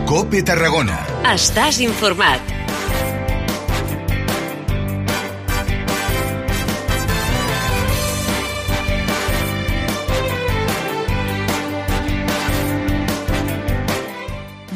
COPE Tarragona. Estàs informat.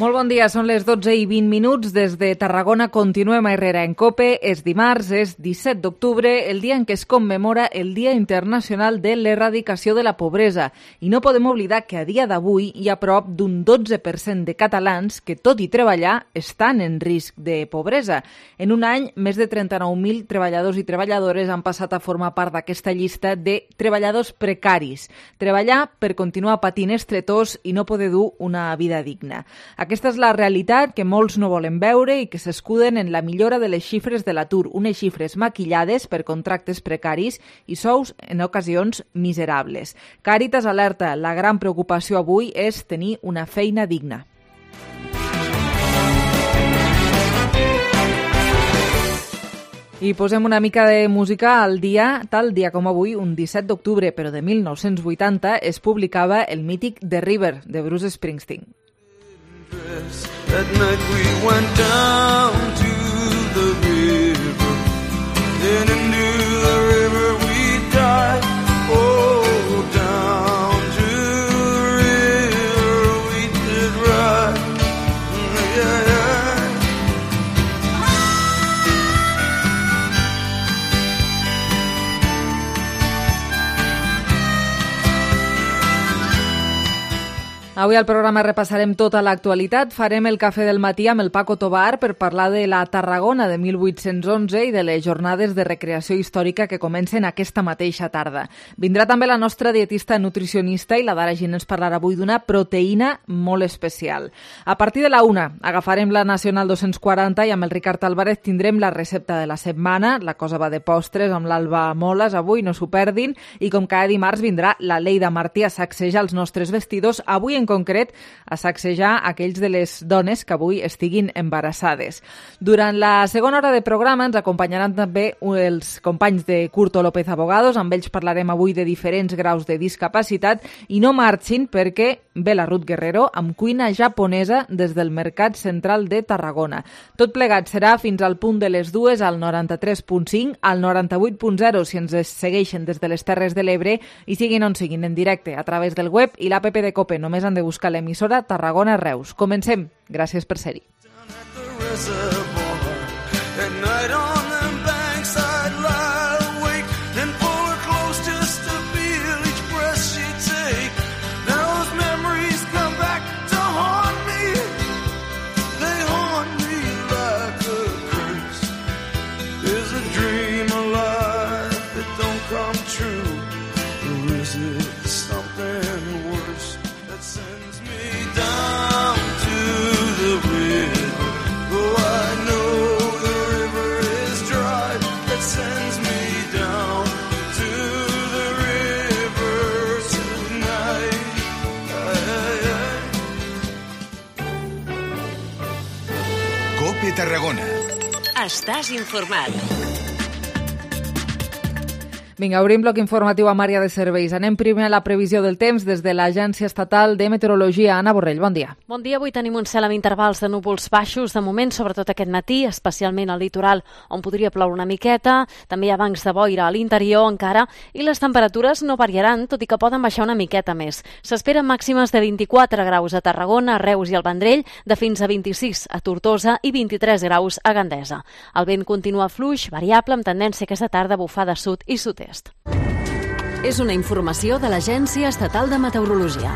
Molt bon dia, són les 12:20. Des de Tarragona continuem a Herrera en COPE. És dimarts, és 17 d'octubre, el dia en què es commemora el Dia Internacional de l'Erradicació de la Pobresa. I no podem oblidar que a dia d'avui hi ha prop d'un 12% de catalans que, tot i treballar, estan en risc de pobresa. En un any, més de 39.000 treballadors i treballadores han passat a formar part d'aquesta llista de treballadors precaris. Treballar per continuar patint estretors i no poder dur una vida digna. Aquesta és la realitat que molts no volen veure i que s'escuden en la millora de les xifres de l'atur, unes xifres maquillades per contractes precaris i sous, en ocasions, miserables. Càritas alerta, la gran preocupació avui és tenir una feina digna. I posem una mica de música al dia, tal dia com avui, un 17 d'octubre, però de 1980, es publicava el mític The River, de Bruce Springsteen. That night we went down to the river, then into the river we died. Oh, down to the river we did ride. Yeah, yeah. Avui al programa repassarem tota l'actualitat. Farem el cafè del matí amb el Paco Tobar per parlar de la Tarragona de 1811 i de les jornades de recreació històrica que comencen aquesta mateixa tarda. Vindrà també la nostra dietista nutricionista i la Dara Gin ens parlarà avui d'una proteïna molt especial. A partir de la 1 agafarem la Nacional 240 i amb el Ricard Álvarez tindrem la recepta de la setmana. La cosa va de postres amb l'Alba Moles avui, no s'ho perdin. I com cada dimarts vindrà la Leida Martí a sacsejar els nostres vestidors, avui en concret a sacsejar aquells de les dones que avui estiguin embarassades. Durant la segona hora de programa ens acompanyaran també els companys de Curto López Abogados, amb ells parlarem avui de diferents graus de discapacitat i no marxin perquè ve la Ruth Guerrero amb cuina japonesa des del Mercat Central de Tarragona. Tot plegat serà fins al punt de les 2 al 93.5, al 98.0 si ens segueixen des de les Terres de l'Ebre i siguin on siguin en directe a través del web i l'app de COPE. Només han de buscar l'emissora Tarragona Reus. Comencem. Gràcies per ser-hi. COPE Tarragona. Estàs informat. Vinga, obrim bloc informatiu amb àrea de serveis. Anem primer a la previsió del temps des de l'Agència Estatal de Meteorologia. Anna Borrell, bon dia. Bon dia, avui tenim un cel amb intervals de núvols baixos, de moment, sobretot aquest matí, especialment al litoral, on podria ploure una miqueta, també hi ha bancs de boira a l'interior encara, i les temperatures no variaran, tot i que poden baixar una miqueta més. S'esperen màximes de 24 graus a Tarragona, a Reus i al Vendrell, de fins a 26 a Tortosa i 23 graus a Gandesa. El vent continua fluix, variable, amb tendència aquesta tarda a bufar de sud i sud-est. És una informació de l'Agència Estatal de Meteorologia.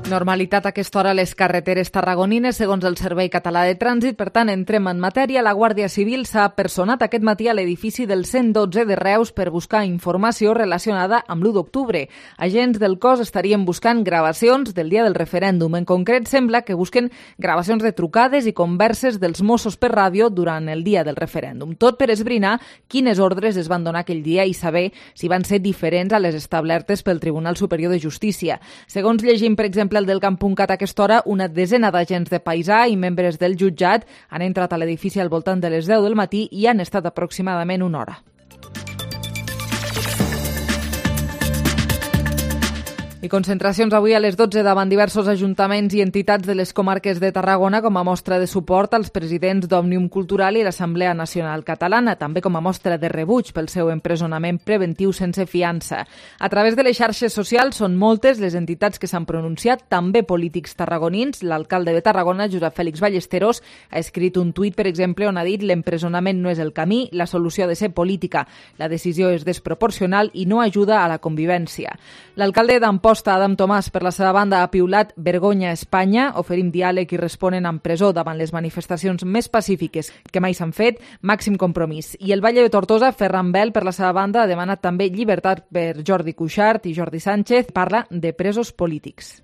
Normalitat a aquesta hora a les carreteres tarragonines, segons el Servei Català de Trànsit. Per tant, entrem en matèria. La Guàrdia Civil s'ha personat aquest matí a l'edifici del 112 de Reus per buscar informació relacionada amb l'1 d'octubre. Agents del cos estarien buscant gravacions del dia del referèndum. En concret, sembla que busquen gravacions de trucades i converses dels Mossos per ràdio durant el dia del referèndum. Tot per esbrinar quines ordres es van donar aquell dia i saber si van ser diferents a les establertes pel Tribunal Superior de Justícia. Segons llegim, per exemple, el del Camp.cat a aquesta hora, una desena d'agents de paisà i membres del jutjat han entrat a l'edifici al voltant de les 10 del matí i han estat aproximadament una hora. I concentracions avui a les 12 davant diversos ajuntaments i entitats de les comarques de Tarragona com a mostra de suport als presidents d'Òmnium Cultural i l'Assemblea Nacional Catalana, també com a mostra de rebuig pel seu empresonament preventiu sense fiança. A través de les xarxes socials són moltes les entitats que s'han pronunciat, també polítics tarragonins. L'alcalde de Tarragona, Josep Fèlix Ballesteros, ha escrit un tuit, per exemple, on ha dit l'empresonament no és el camí, la solució ha de ser política, la decisió és desproporcional i no ajuda a la convivència. L'alcalde d'Amposta, Adam Tomàs, per la seva banda, ha piulat vergonya a Espanya, oferim diàleg i responen amb presó davant les manifestacions més pacífiques que mai s'han fet, màxim compromís. I el Valle de Tortosa, Ferran Bel, per la seva banda, ha demanat també llibertat per Jordi Cuixart i Jordi Sánchez, parla de presos polítics.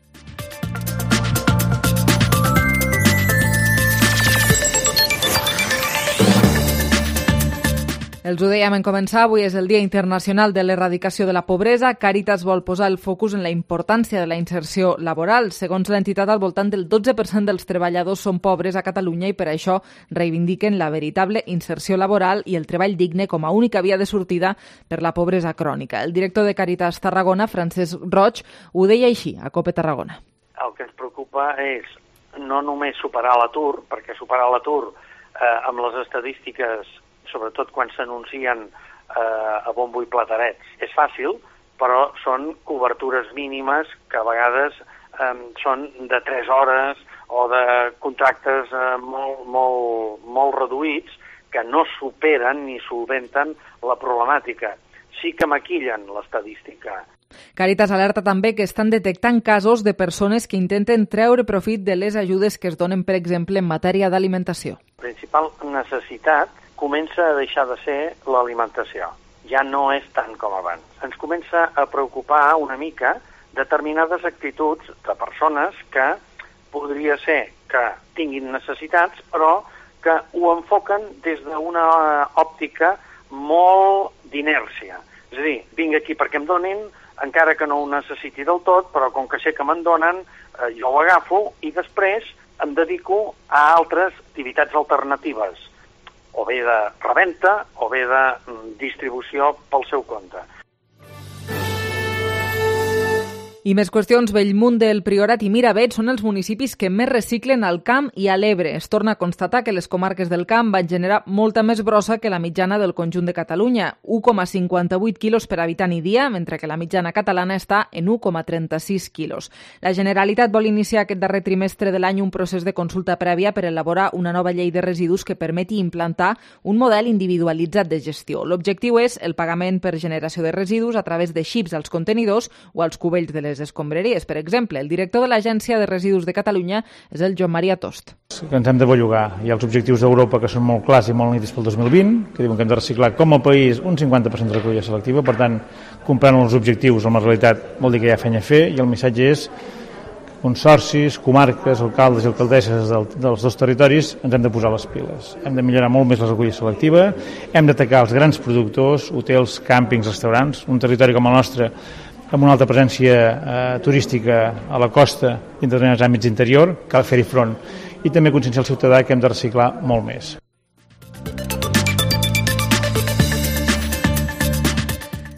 Els ho dèiem en començar, avui és el Dia Internacional de l'Erradicació de la Pobresa. Càritas vol posar el focus en la importància de la inserció laboral. Segons l'entitat, al voltant del 12% dels treballadors són pobres a Catalunya i per això reivindiquen la veritable inserció laboral i el treball digne com a única via de sortida per la pobresa crònica. El director de Càritas Tarragona, Francesc Roig, ho deia així a COPE Tarragona. El que ens preocupa és no només superar l'atur, perquè superar l'atur amb les estadístiques, sobretot quan s'anuncien a bombo i platerets, és fàcil, però són cobertures mínimes que a vegades són de 3 hores o de contractes molt reduïts que no superen ni solventen la problemàtica. Sí que maquillen l'estadística. Càritas alerta també que estan detectant casos de persones que intenten treure profit de les ajudes que es donen, per exemple, en matèria d'alimentació. La principal necessitat comença a deixar de ser l'alimentació. Ja no és tant com abans. Ens comença a preocupar una mica determinades actituds de persones que podria ser que tinguin necessitats, però que ho enfoquen des d'una òptica molt d'inèrcia. És a dir, vinc aquí perquè em donin, encara que no ho necessiti del tot, però com que sé que me'n donen, jo ho agafo i després em dedico a altres activitats alternatives, o bé de reventa o bé de distribució pel seu compte. I més qüestions. Bellmunt del Priorat i Miravet són els municipis que més reciclen al Camp i a l'Ebre. Es torna a constatar que les comarques del Camp van generar molta més brossa que la mitjana del conjunt de Catalunya, 1,58 quilos per habitant i dia, mentre que la mitjana catalana està en 1,36 quilos. La Generalitat vol iniciar aquest darrer trimestre de l'any un procés de consulta prèvia per elaborar una nova llei de residus que permeti implantar un model individualitzat de gestió. L'objectiu és el pagament per generació de residus a través de xips als contenidors o als cubells de les escombraries. Per exemple, el director de l'Agència de Residus de Catalunya és el Joan Maria Tost. Ens hem de bellugar. Hi ha els objectius d'Europa que són molt clars i molt nítids pel 2020, que diuen que hem de reciclar com a país un 50% de recollida selectiva. Per tant, comprant els objectius amb la realitat vol dir que hi ha feina a fer, i el missatge és consorcis, comarques, alcaldes i alcaldesses dels dos territoris ens hem de posar les piles. Hem de millorar molt més la recollida selectiva, hem d'atacar els grans productors, hotels, càmpings, restaurants, un territori com el nostre amb una alta presència turística a la costa i en determinats àmbits interior, cal fer-hi front. I també conscienciar el ciutadà que hem de reciclar molt més.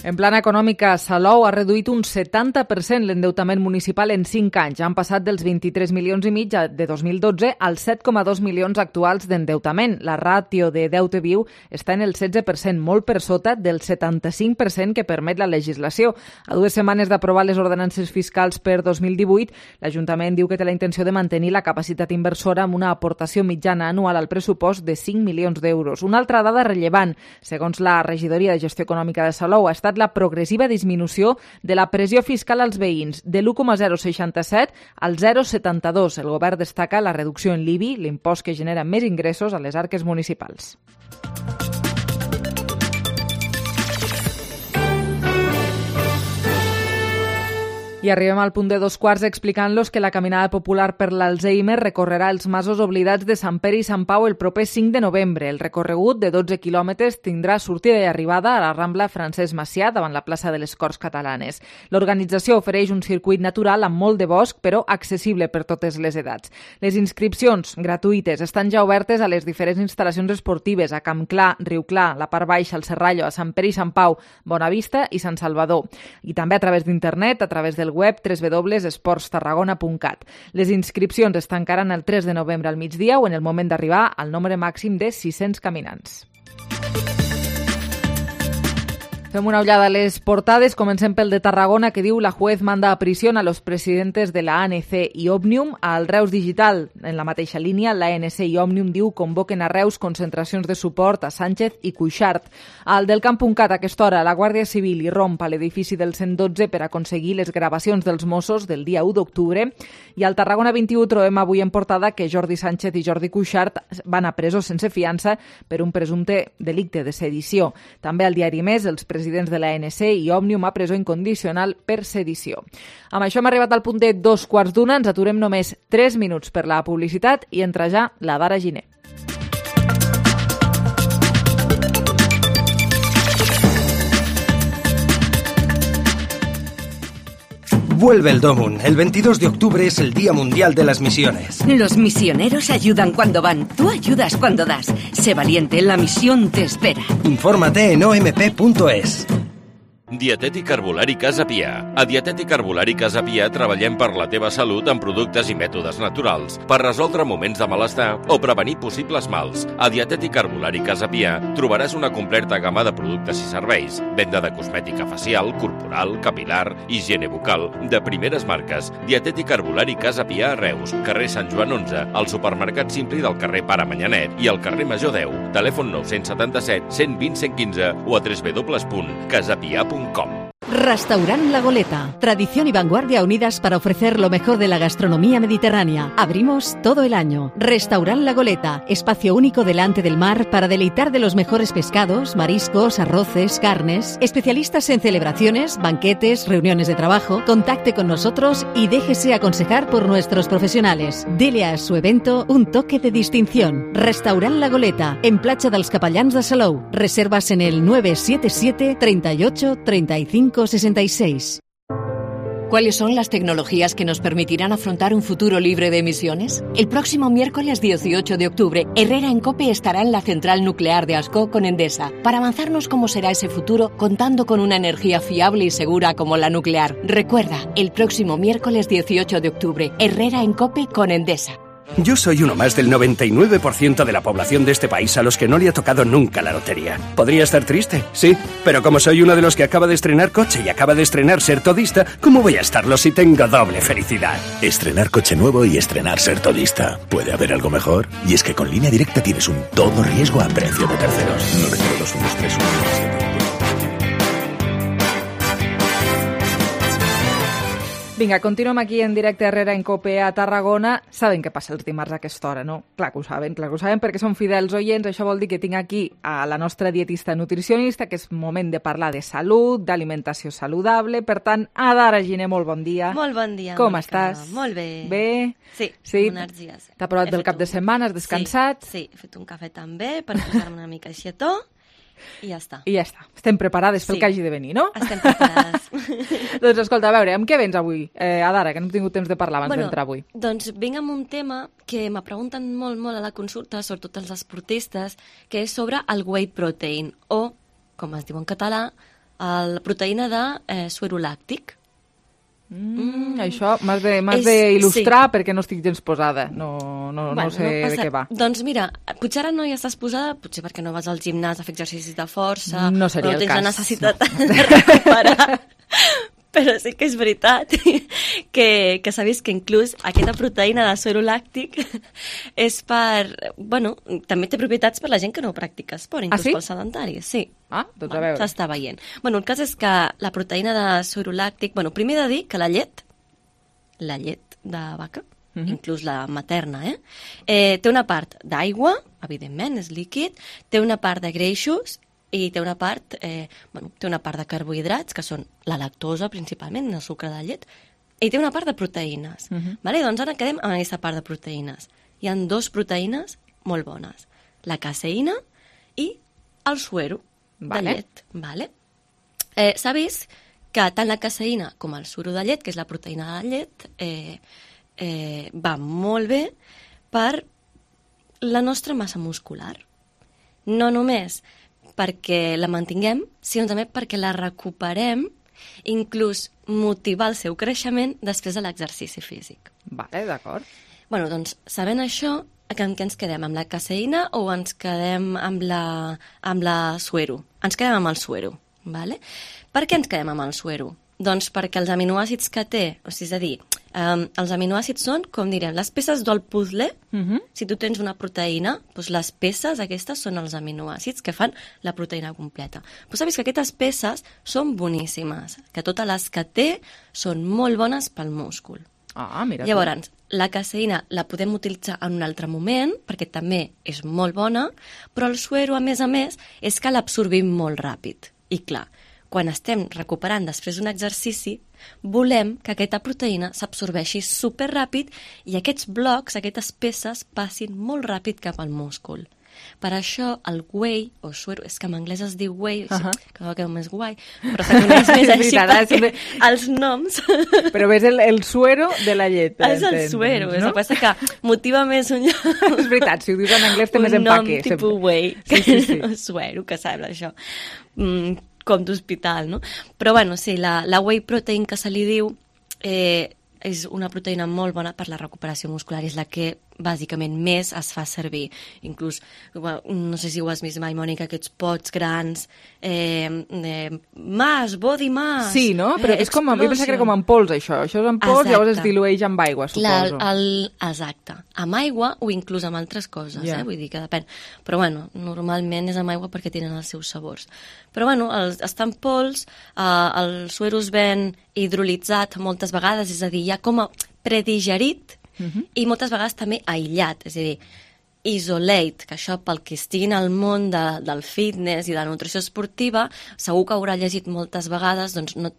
En plana econòmica, Salou ha reduït un 70% l'endeutament municipal en 5 anys. Han passat dels 23 milions i mig de 2012 als 7,2 milions actuals d'endeutament. La ràtio de deute viu està en el 16%, molt per sota del 75% que permet la legislació. A 2 setmanes d'aprovar les ordenances fiscals per 2018, l'Ajuntament diu que té la intenció de mantenir la capacitat inversora amb una aportació mitjana anual al pressupost de 5 milions d'euros. Una altra dada rellevant, segons la Regidoria de Gestió Econòmica de Salou, ha estat la progressiva disminució de la pressió fiscal als veïns, de l'1,067 al 0,72. El govern destaca la reducció en l'IBI, l'impost que genera més ingressos a les arques municipals. I arribem al punt de 2:15 explicant-los que la caminada popular per l'Alzheimer recorrerà els masos oblidats de Sant Pere i Sant Pau el proper 5 de novembre. El recorregut de 12 quilòmetres tindrà sortida i arribada a la Rambla Francesc Macià davant la plaça de les Corts Catalanes. L'organització ofereix un circuit natural amb molt de bosc, però accessible per totes les edats. Les inscripcions gratuïtes estan ja obertes a les diferents instal·lacions esportives a Camp Clar, Riu Clar, la Part Baixa, el Serrallo, a Sant Pere i Sant Pau, Bonavista i Sant Salvador. I també a través d'internet, a través del web www.esportstarragona.cat. Les inscripcions es tancaran el 3 de novembre al migdia o en el moment d'arribar al nombre màxim de 600 caminants. Fem una ullada a les portades. Comencem pel de Tarragona, que diu: la juez manda a prisión a los presidentes de la ANC i Òmnium. Al Reus Digital, en la mateixa línia, l'ANC i Òmnium diu convoquen a Reus concentracions de suport a Sánchez i Cuixart. Al del Camp.cat, a aquesta hora, la Guàrdia Civil irromp a l'edifici del 112 per aconseguir les gravacions dels Mossos del dia 1 d'octubre. I al Tarragona 21 trobem avui en portada que Jordi Sánchez i Jordi Cuixart van a presó sense fiança per un presumpte delicte de sedició. També al diari Més, els presidents de l'ANC i Òmnium a presó incondicional per sedició. Amb això hem arribat al punt de 2:15. Ens aturem només 3 minuts per la publicitat i entra ja la Dara Giner. Vuelve el Domun. El 22 de octubre es el Día Mundial de las Misiones. Los misioneros ayudan cuando van. Tú ayudas cuando das. Sé valiente, la misión te espera. Infórmate en omp.es. Dietètic Herbolari Casa Pia. A Dietètic Herbolari Casa Pia treballem per la teva salut amb productes i mètodes naturals per resoldre moments de malestar o prevenir possibles mals. A Dietètic Herbolari Casa Pia trobaràs una completa gamma de productes i serveis. Venda de cosmètica facial, corporal, capilar, higiene bucal, de primeres marques. Dietètic Herbolari Casa Pia a Reus, carrer Sant Joan 11, al supermercat Simpli del carrer Pare Manyanet i al carrer Major 10. Telèfon 977 120 115 o a www.casapia.com. Restaurant La Goleta. Tradición y vanguardia unidas para ofrecer lo mejor de la gastronomía mediterránea. Abrimos todo el año. Restaurant La Goleta. Espacio único delante del mar para deleitar de los mejores pescados, mariscos, arroces, carnes. Especialistas en celebraciones, banquetes, reuniones de trabajo. Contacte con nosotros y déjese aconsejar por nuestros profesionales. Dele a su evento un toque de distinción. Restaurant La Goleta. En Platja dels Capellans de Salou. Reservas en el 977 38 35 66. ¿Cuáles son las tecnologías que nos permitirán afrontar un futuro libre de emisiones? El próximo miércoles 18 de octubre, Herrera en COPE estará en la central nuclear de Ascó con Endesa para avanzarnos cómo será ese futuro contando con una energía fiable y segura como la nuclear. Recuerda, el próximo miércoles 18 de octubre, Herrera en COPE con Endesa. Yo soy uno más del 99% de la población de este país a los que no le ha tocado nunca la lotería. ¿Podría estar triste? Sí, pero como soy uno de los que acaba de estrenar coche y acaba de estrenar ser todista, ¿cómo voy a estarlo si tengo doble felicidad? Estrenar coche nuevo y estrenar ser todista. ¿Puede haber algo mejor? Y es que con Línea Directa tienes un todo riesgo a precio de terceros. 9021317. Vinga, continuem aquí en directe Herrera en COPE a Tarragona. Saben què passa els dimarts a aquesta hora, no? Clar que ho saben perquè són fidels oients. Això vol dir que tinc aquí a la nostra dietista nutricionista, que és moment de parlar de salut, d'alimentació saludable. Per tant, Adara Giner, molt bon dia. Molt bon dia, Com Mónica. estàs? Molt bé. Bé? Sí, amb energies. T'ha provat del cap de setmana? Has descansat? Sí, he fet un cafè també per posar-me una mica així a to. I ja està. I ja està. Estem preparades pel que hagi de venir, no? Estem preparades. Doncs escolta, a veure, amb què vens avui, Adara, que no hem tingut temps de parlar abans d'entrar avui? Doncs vinc amb un tema que me pregunten molt a la consulta, sobretot els esportistes, que és sobre el whey protein, o, com es diu en català, la proteïna de suero làctic. Això m'has d'il·lustrar perquè no estic gens posada, no sé de què va. Doncs mira, potser ara no hi estàs posada, potser perquè no vas al gimnàs a fer exercicis de força, no seria el cas, tens la necessitat de recuperar, però sí que és veritat que s'ha vist que inclús aquesta proteïna de suero làctic és per, bueno, també té propietats per la gent que no practica esport, inclús pels sedentaris, sí. Doncs a veure. S'està veient. Bueno, el cas és que la proteïna de suero làctic, bueno, primer he de dir que la llet de vaca, inclús la materna, té una part d'aigua, evidentment, és líquid, té una part de greixos i té una part, té una part de carbohidrats, que són la lactosa principalment, el sucre de llet, i té una part de proteïnes. Vale? Doncs ara quedem amb aquesta part de proteïnes. Hi ha 2 proteïnes molt bones, la caseïna i el suero de llet. Vale? S'ha vist que tant la caseïna com el suero de llet, que és la proteïna de la llet, va molt bé per la nostra massa muscular. No només perquè la mantinguem, sinó també perquè la recuperem inclús motivar el seu creixement després de l'exercici físic. Vale, d'acord. Bueno, doncs, sabent això, amb què ens quedem? Amb la caseïna o ens quedem amb la suero? Ens quedem amb el suero, vale? Per què ens quedem amb el suero? Doncs perquè els aminoàcids que té, o sigui, és a dir, els aminoàcids són, com direm, les peces del puzzle. Si tu tens una proteïna, doncs les peces aquestes són els aminoàcids que fan la proteïna completa. Però saps que aquestes peces són boníssimes, que totes les que té són molt bones pel múscul. Mira. Llavors, la caseïna la podem utilitzar en un altre moment, perquè també és molt bona, però el suero, a més, és que l'absorbim molt ràpid. I clar, quan estem recuperant després d'un exercici, volem que aquesta proteïna s'absorbeixi superràpid i aquests blocs, aquestes peces, passin molt ràpid cap al múscul. Per això el whey, o suero, és que en anglès es diu whey, que no queda més guai, però se coneix més així perquè els noms... Però ves el suero de la llet. És el suero, és el que passa que motiva més un... És veritat, si ho dius en anglès té més empaque. Un nom tipus whey, que suero, que sembla això. Com d'hospital, no? Però, bueno, sí, la whey protein que se li diu és una proteïna molt bona per la recuperació muscular, és la que bàsicament més es fa servir. Inclús, no sé si ho has vist mai, Mònica, aquests pots grans, body mass... Sí, no? Però és com, jo pensava que era com en pols, això. Això és en pols, llavors es dilueix amb aigua, suposo. Exacte. Amb aigua o inclús amb altres coses, vull dir que depèn. Però, bueno, normalment és amb aigua perquè tenen els seus sabors. Però, bueno, està en pols, el suero es ven hidrolitzat moltes vegades, és a dir, ja com a predigerit, i moltes vegades també aïllat, és a dir, isolate, que això pel que estigui al món del fitness i de la nutrició esportiva, segur que haurà llegit moltes vegades, doncs no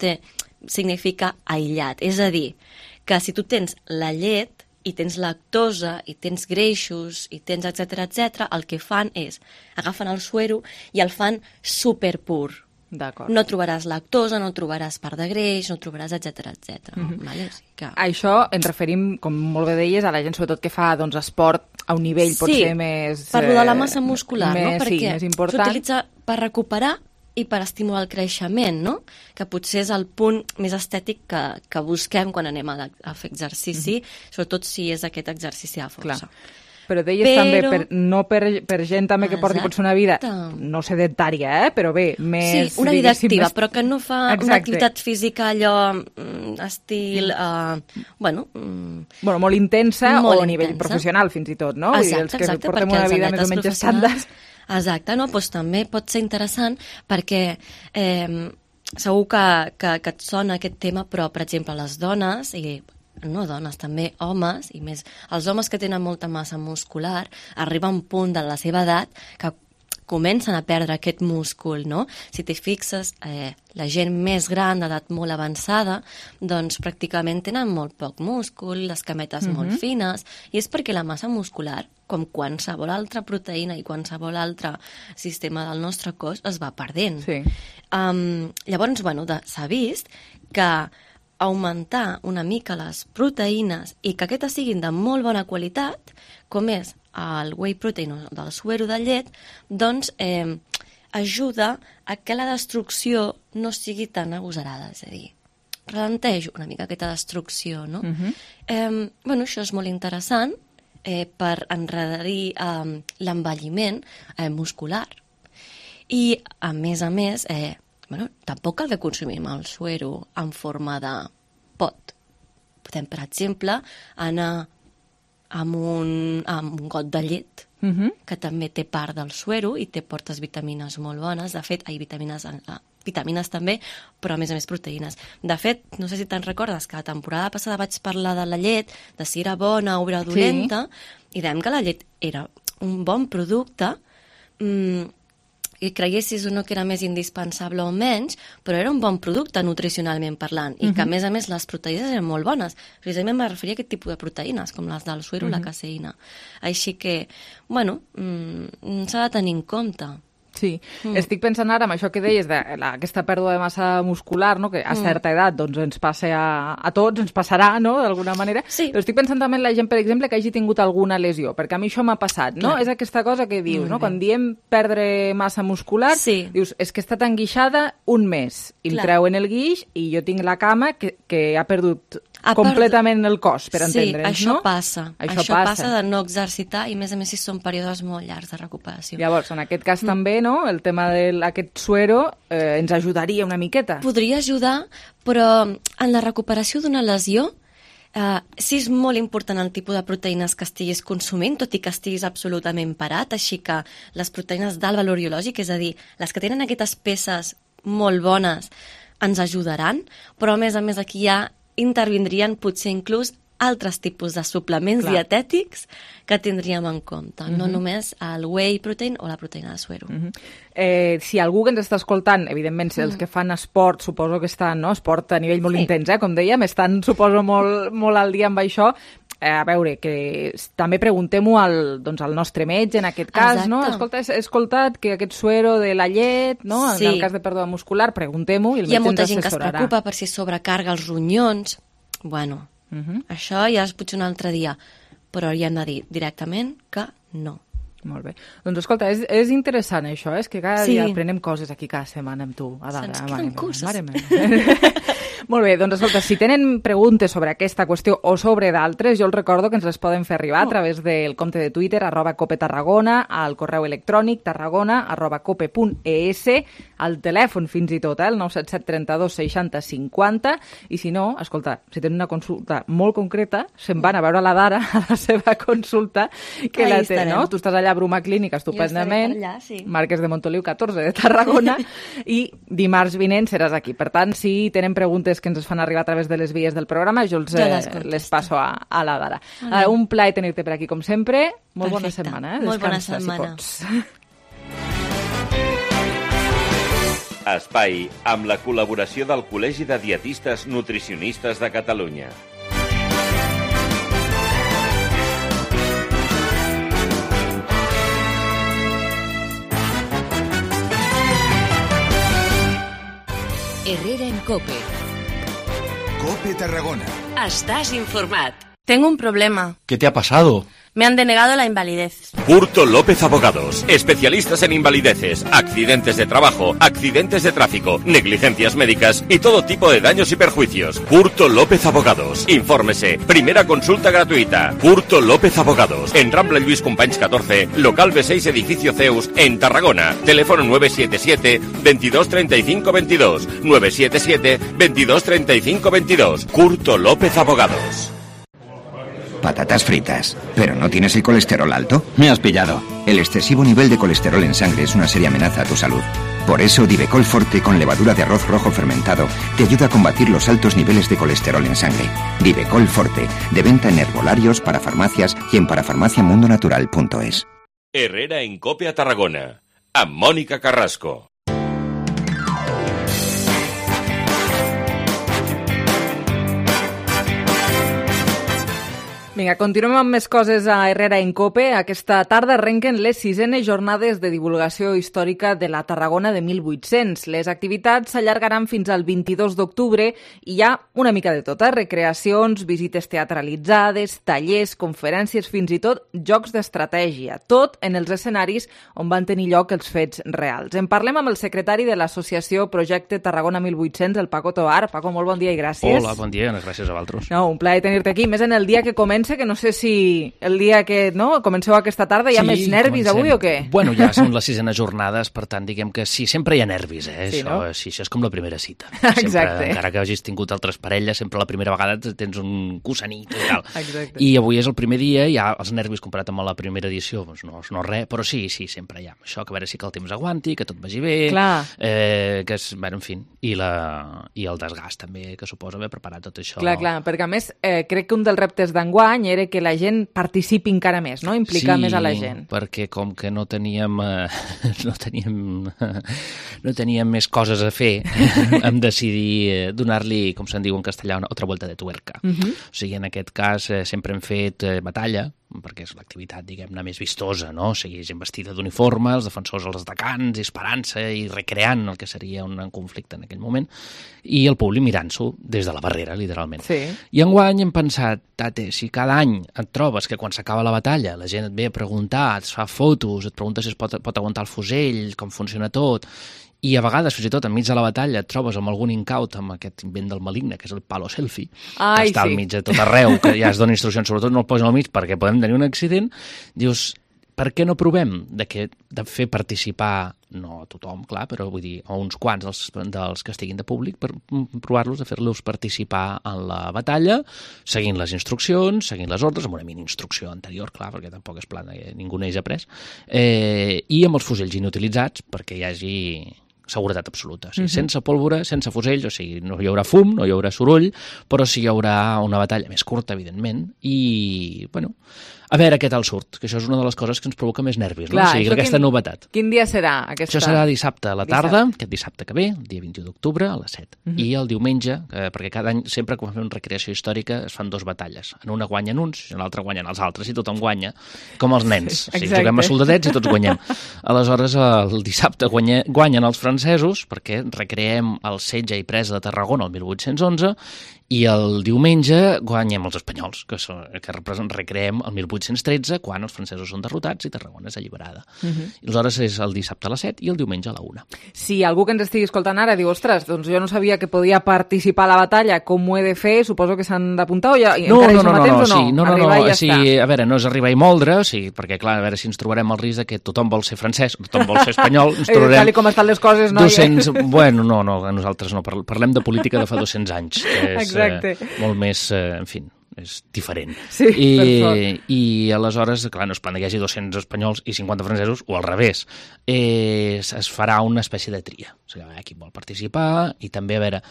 significa aïllat. És a dir, que si tu tens la llet i tens lactosa i tens greixos i tens etc, el que fan és agafen el suero i el fan superpur. No trobaràs lactosa, no trobaràs part de greix, no trobaràs etc. Vale? O sigui que... Això ens referim, com molt bé deies, a la gent sobretot que fa esport a un nivell potser més... Sí, parlo de la massa muscular, no? Perquè s'utilitza per recuperar i per estimular el creixement, no? Que potser és el punt més estètic que busquem quan anem a fer exercici, sobretot si és aquest exercici de força. Clar. Però deies també, no per gent també que porti potser una vida, no sedentària, però bé, més... Sí, una vida activa, però que no fa una activitat física allò estil... molt intensa o a nivell professional, fins i tot, no? Exacte, que portem una vida més o menys estàndard. Exacte, no? Doncs també pot ser interessant perquè... segur que et sona aquest tema, però, per exemple, les dones... no dones, també homes, i més els homes que tenen molta massa muscular, arriba un punt de la seva edat que comencen a perdre aquest múscul, no? Si t'hi fixes, la gent més gran, d'edat molt avançada, doncs pràcticament tenen molt poc múscul, les cametes molt fines, i és perquè la massa muscular, com qualsevol altra proteïna i qualsevol altre sistema del nostre cos, es va perdent. Llavors, s'ha vist que augmentar una mica les proteïnes i que aquestes siguin de molt bona qualitat, com és el whey protein del suero de llet, doncs ajuda a que la destrucció no sigui tan agosarada, és a dir, ralenteix una mica aquesta destrucció, no? Això és molt interessant per endarrerir l'envelliment muscular. I, a més, tampoc cal que consumim el suero en forma de pot. Podem, per exemple, anar amb un got de llet, que també té part del suero i té portes vitamines molt bones. De fet, vitamines també, però a més proteïnes. De fet, no sé si te'n recordes que la temporada passada vaig parlar de la llet, de si era bona o era dolenta, i dèiem que la llet era un bon producte, i creguessis o no que era més indispensable o menys, però era un bon producte nutricionalment parlant, i que a més les proteïnes eren molt bones. Precisament me referia a aquest tipus de proteïnes, com les del suero o la caseïna. Així que, s'ha de tenir en compte. Sí, estic pensant ara en això que deies d'aquesta pèrdua de massa muscular, no? Que a certa edat doncs, ens passa a tots, ens passarà, no? D'alguna manera. Sí. Però estic pensant també en la gent, per exemple, que hagi tingut alguna lesió, perquè a mi això m'ha passat, no? Clar. És aquesta cosa que dius, no? Quan diem perdre massa muscular, dius, és que he estat enguixada un mes, i em treuen el guix i jo tinc la cama que ha perdut completament el cos, per entendre'ns, no? Sí, això passa. Això passa de no exercitar i, a més si són períodes molt llargs de recuperació. Llavors, en aquest cas també, no?, el tema d'aquest suero ens ajudaria una miqueta. Podria ajudar, però en la recuperació d'una lesió sí és molt important el tipus de proteïnes que estiguis consumint, tot i que estiguis absolutament parat, així que les proteïnes d'alt valor biològic, és a dir, les que tenen aquestes peces molt bones, ens ajudaran, però a més aquí ja intervindrien potser inclús altres tipus de suplements dietètics que tindríem en compte, no només el whey protein o la proteïna de suero. Si algú que ens està escoltant, evidentment, els que fan esport, suposo que estan, no?, esport a nivell molt intens, com dèiem, estan, suposo, molt al dia amb això. A veure, que també preguntem-ho al nostre metge, en aquest cas, no? Escolta, he escoltat que aquest suero de la llet, no?, en el cas de pèrdua muscular, preguntem-ho i el metge ens assessorarà. Hi ha molta gent que es preocupa per si sobrecarga els ronyons. Bueno, això ja és potser un altre dia, però hi hem de dir directament que no. Molt bé. Doncs escolta, és interessant això, és que cada dia aprenem coses aquí cada setmana amb tu. Se'ns queden coses. Molt bé, doncs escolta, si tenen preguntes sobre aquesta qüestió o sobre d'altres, jo els recordo que ens les poden fer arribar a través del compte de Twitter, @copetarragona, al correu electrònic tarragona@cope.es, al telèfon fins i tot, el 977 32 60 50, i si no, escolta, si tenen una consulta molt concreta, se'n van a veure la Dara a la seva consulta, que la té, no? Tu estàs allà a Bruma Clínica estupendament, Marquès de Montoliu 14 de Tarragona, i dimarts vinent seràs aquí. Per tant, si tenen preguntes que ens fan arribar a través de les vies del programa, jo les passo a la Dara. Un plaer tenir-te per aquí, com sempre. Molt bona setmana. Molt bona setmana. Espai amb la col·laboració del Col·legi de Dietistes Nutricionistes de Catalunya. Herrera en Cope. Cope Tarragona. Estás informat. Tengo un problema. ¿Qué te ha pasado? Me han denegado la invalidez. Curto López Abogados, especialistas en invalideces, accidentes de trabajo, accidentes de tráfico, negligencias médicas y todo tipo de daños y perjuicios. Curto López Abogados. Infórmese. Primera consulta gratuita. Curto López Abogados. En Rambla Lluís Companys 14, local B6, edificio Zeus, en Tarragona. Teléfono 977 22 35 22. 977 22 35 22. Curto López Abogados. Patatas fritas. ¿Pero no tienes el colesterol alto? Me has pillado. El excesivo nivel de colesterol en sangre es una seria amenaza a tu salud. Por eso, Divecol Forte con levadura de arroz rojo fermentado te ayuda a combatir los altos niveles de colesterol en sangre. Divecol Forte, de venta en herbolarios, para farmacias y en parafarmaciamundonatural.es. Herrera en Cope a Tarragona, amb Mònica Carrasco. Vinga, continuem amb més coses a Herrera en Cope. Aquesta tarda arrenquen les 6enes jornades de divulgació històrica de la Tarragona de 1800. Les activitats s'allargaran fins al 22 d'octubre i hi ha una mica de tot, recreacions, visites teatralitzades, tallers, conferències, fins i tot jocs d'estratègia. Tot en els escenaris on van tenir lloc els fets reals. En parlem amb el secretari de l'associació Projecte Tarragona 1800, el Paco Tobar. Paco, molt bon dia i gràcies. Hola, bon dia, gràcies a vosaltres. No, un plaer tenir-te aquí, més en el dia que comença, que no sé si el dia que comenceu aquesta tarda hi ha més nervis avui o què? Bueno, ja són les 6enes jornades, per tant, diguem que sí, sempre hi ha nervis, Sí, això, no? Sí, això és com la primera cita. Exacte. Sempre, encara que hagis tingut altres parelles, sempre la primera vegada tens un cossanit i tal. Exacte. I avui és el primer dia, ja els nervis comparat amb la primera edició, doncs no res, però sí, sempre hi ha. Això, que a veure si que el temps aguanti, que tot vagi bé, que és, bueno, en fi, i el desgast també que suposa haver preparat tot això. Clar, perquè a més crec que un dels reptes d'enguany era que la gent participi encara més, no? Implicar més a la gent. Sí, perquè com que no teníem més coses a fer, vam decidir donar-li, com se'n diu en castellà, una altra volta de tuerca. O sigui, en aquest cas sempre hem fet batalla, perquè és l'activitat, diguem-ne, més vistosa, no? O sigui, gent vestida d'uniforme, els defensors als destacants, disparant-se i recreant el que seria un conflicte en aquell moment, i el públic mirant-s'ho des de la barrera, literalment. Sí. I enguany hem pensat, tate, si cada any et trobes que quan s'acaba la batalla la gent et ve a preguntar, et fa fotos, et pregunta si es pot aguantar el fusell, com funciona tot, i a vegades, fins i tot, enmig de la batalla, et trobes amb algun incaut, amb aquest invent del maligne, que és el palo selfie, que està al mig de tot arreu, que ja es dona instruccions, sobretot no el posen al mig perquè podem tenir un accident, dius, per què no provem de fer participar, no a tothom, clar, però vull dir, a uns quants dels que estiguin de públic, per provar-los, de fer-los participar en la batalla, seguint les instruccions, seguint les ordres, amb una mini instrucció anterior, clar, perquè tampoc és plan, ningú n'hagi après, i amb els fusells inutilitzats, perquè hi hagi seguretat absoluta. O sigui, sense pólvora, sense fusells, o sigui, no hi haurà fum, no hi haurà soroll, però sí hi haurà una batalla més curta, evidentment, i, bueno, a veure què tal surt, que això és una de les coses que ens provoca més nervis, no? Clar, o sigui, aquesta novetat. Quin dia serà? Això serà dissabte a la tarda, aquest dissabte que ve, el dia 21 d'octubre, a les 7. I el diumenge, perquè cada any, sempre quan fem recreació històrica, es fan 2 batalles. En una guanyen uns, i en l'altra guanyen els altres, i tothom guanya, com els nens. O sigui, juguem a soldadets i tots guanyem. Aleshores, el dissabte guanyen els francesos, perquè recreem el setge i presa de Tarragona el 1811, i el diumenge guanyem els espanyols, que recreem el 1813, quan els francesos són derrotats i Tarragona és alliberada. I aleshores és el dissabte a les 7 i el diumenge a la 1. Si algú que ens estigui escoltant ara diu, ostres, doncs jo no sabia que podia participar a la batalla, com ho he de fer? Suposo que s'han d'apuntar o ja encara hi som a temps o no? No, sí, a veure, no és arribar i moldre, o sigui, perquè clar, a veure si ens trobarem el risc que tothom vol ser francès, tothom vol ser espanyol, ens trobarem... Tal com estan les coses, no? 200... Bueno, no, nosaltres no, parlem de política de fa 200 anys, que és molt més, en fi, és diferent. Sí, I aleshores, clar, no es plan que hi hagi 200 espanyols i 50 francesos, o al revés. Es farà una espècie de tria. O sigui, qui vol participar, i també, a veure,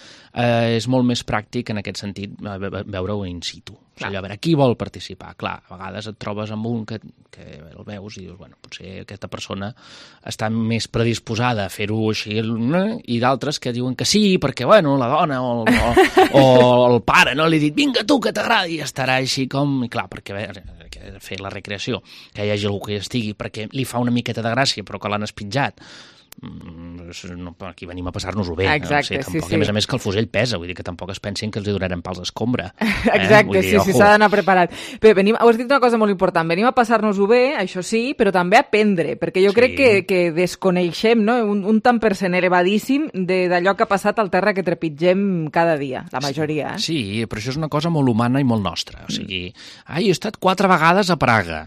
és molt més pràctic en aquest sentit veure-ho in situ. O sigui, a veure, qui vol participar? Clar, a vegades et trobes amb un que el veus i dius, bueno, potser aquesta persona està més predisposada a fer-ho així, i d'altres que diuen que sí, perquè, bueno, la dona o el pare, no? Li ha dit, vinga tu, que t'agrada, i estarà així com... I clar, perquè, a veure, fer la recreació, que hi hagi algú que hi estigui, perquè li fa una miqueta de gràcia, però que l'han espitjat, aquí venim a passar-nos-ho bé. Exacte, no? A més a més que el fusell pesa, vull dir que tampoc es pensin que els hi donarem pals d'escombra. Exacte, sí, s'ha d'anar preparat. Però has dit una cosa molt important, venim a passar-nos-ho bé, això sí, però també a aprendre, perquè jo crec que desconeixem, no? Un tant per cent elevadíssim d'allò que ha passat al terra que trepitgem cada dia, la majoria. Sí, però això és una cosa molt humana i molt nostra. O sigui, he estat 4 vegades a Praga,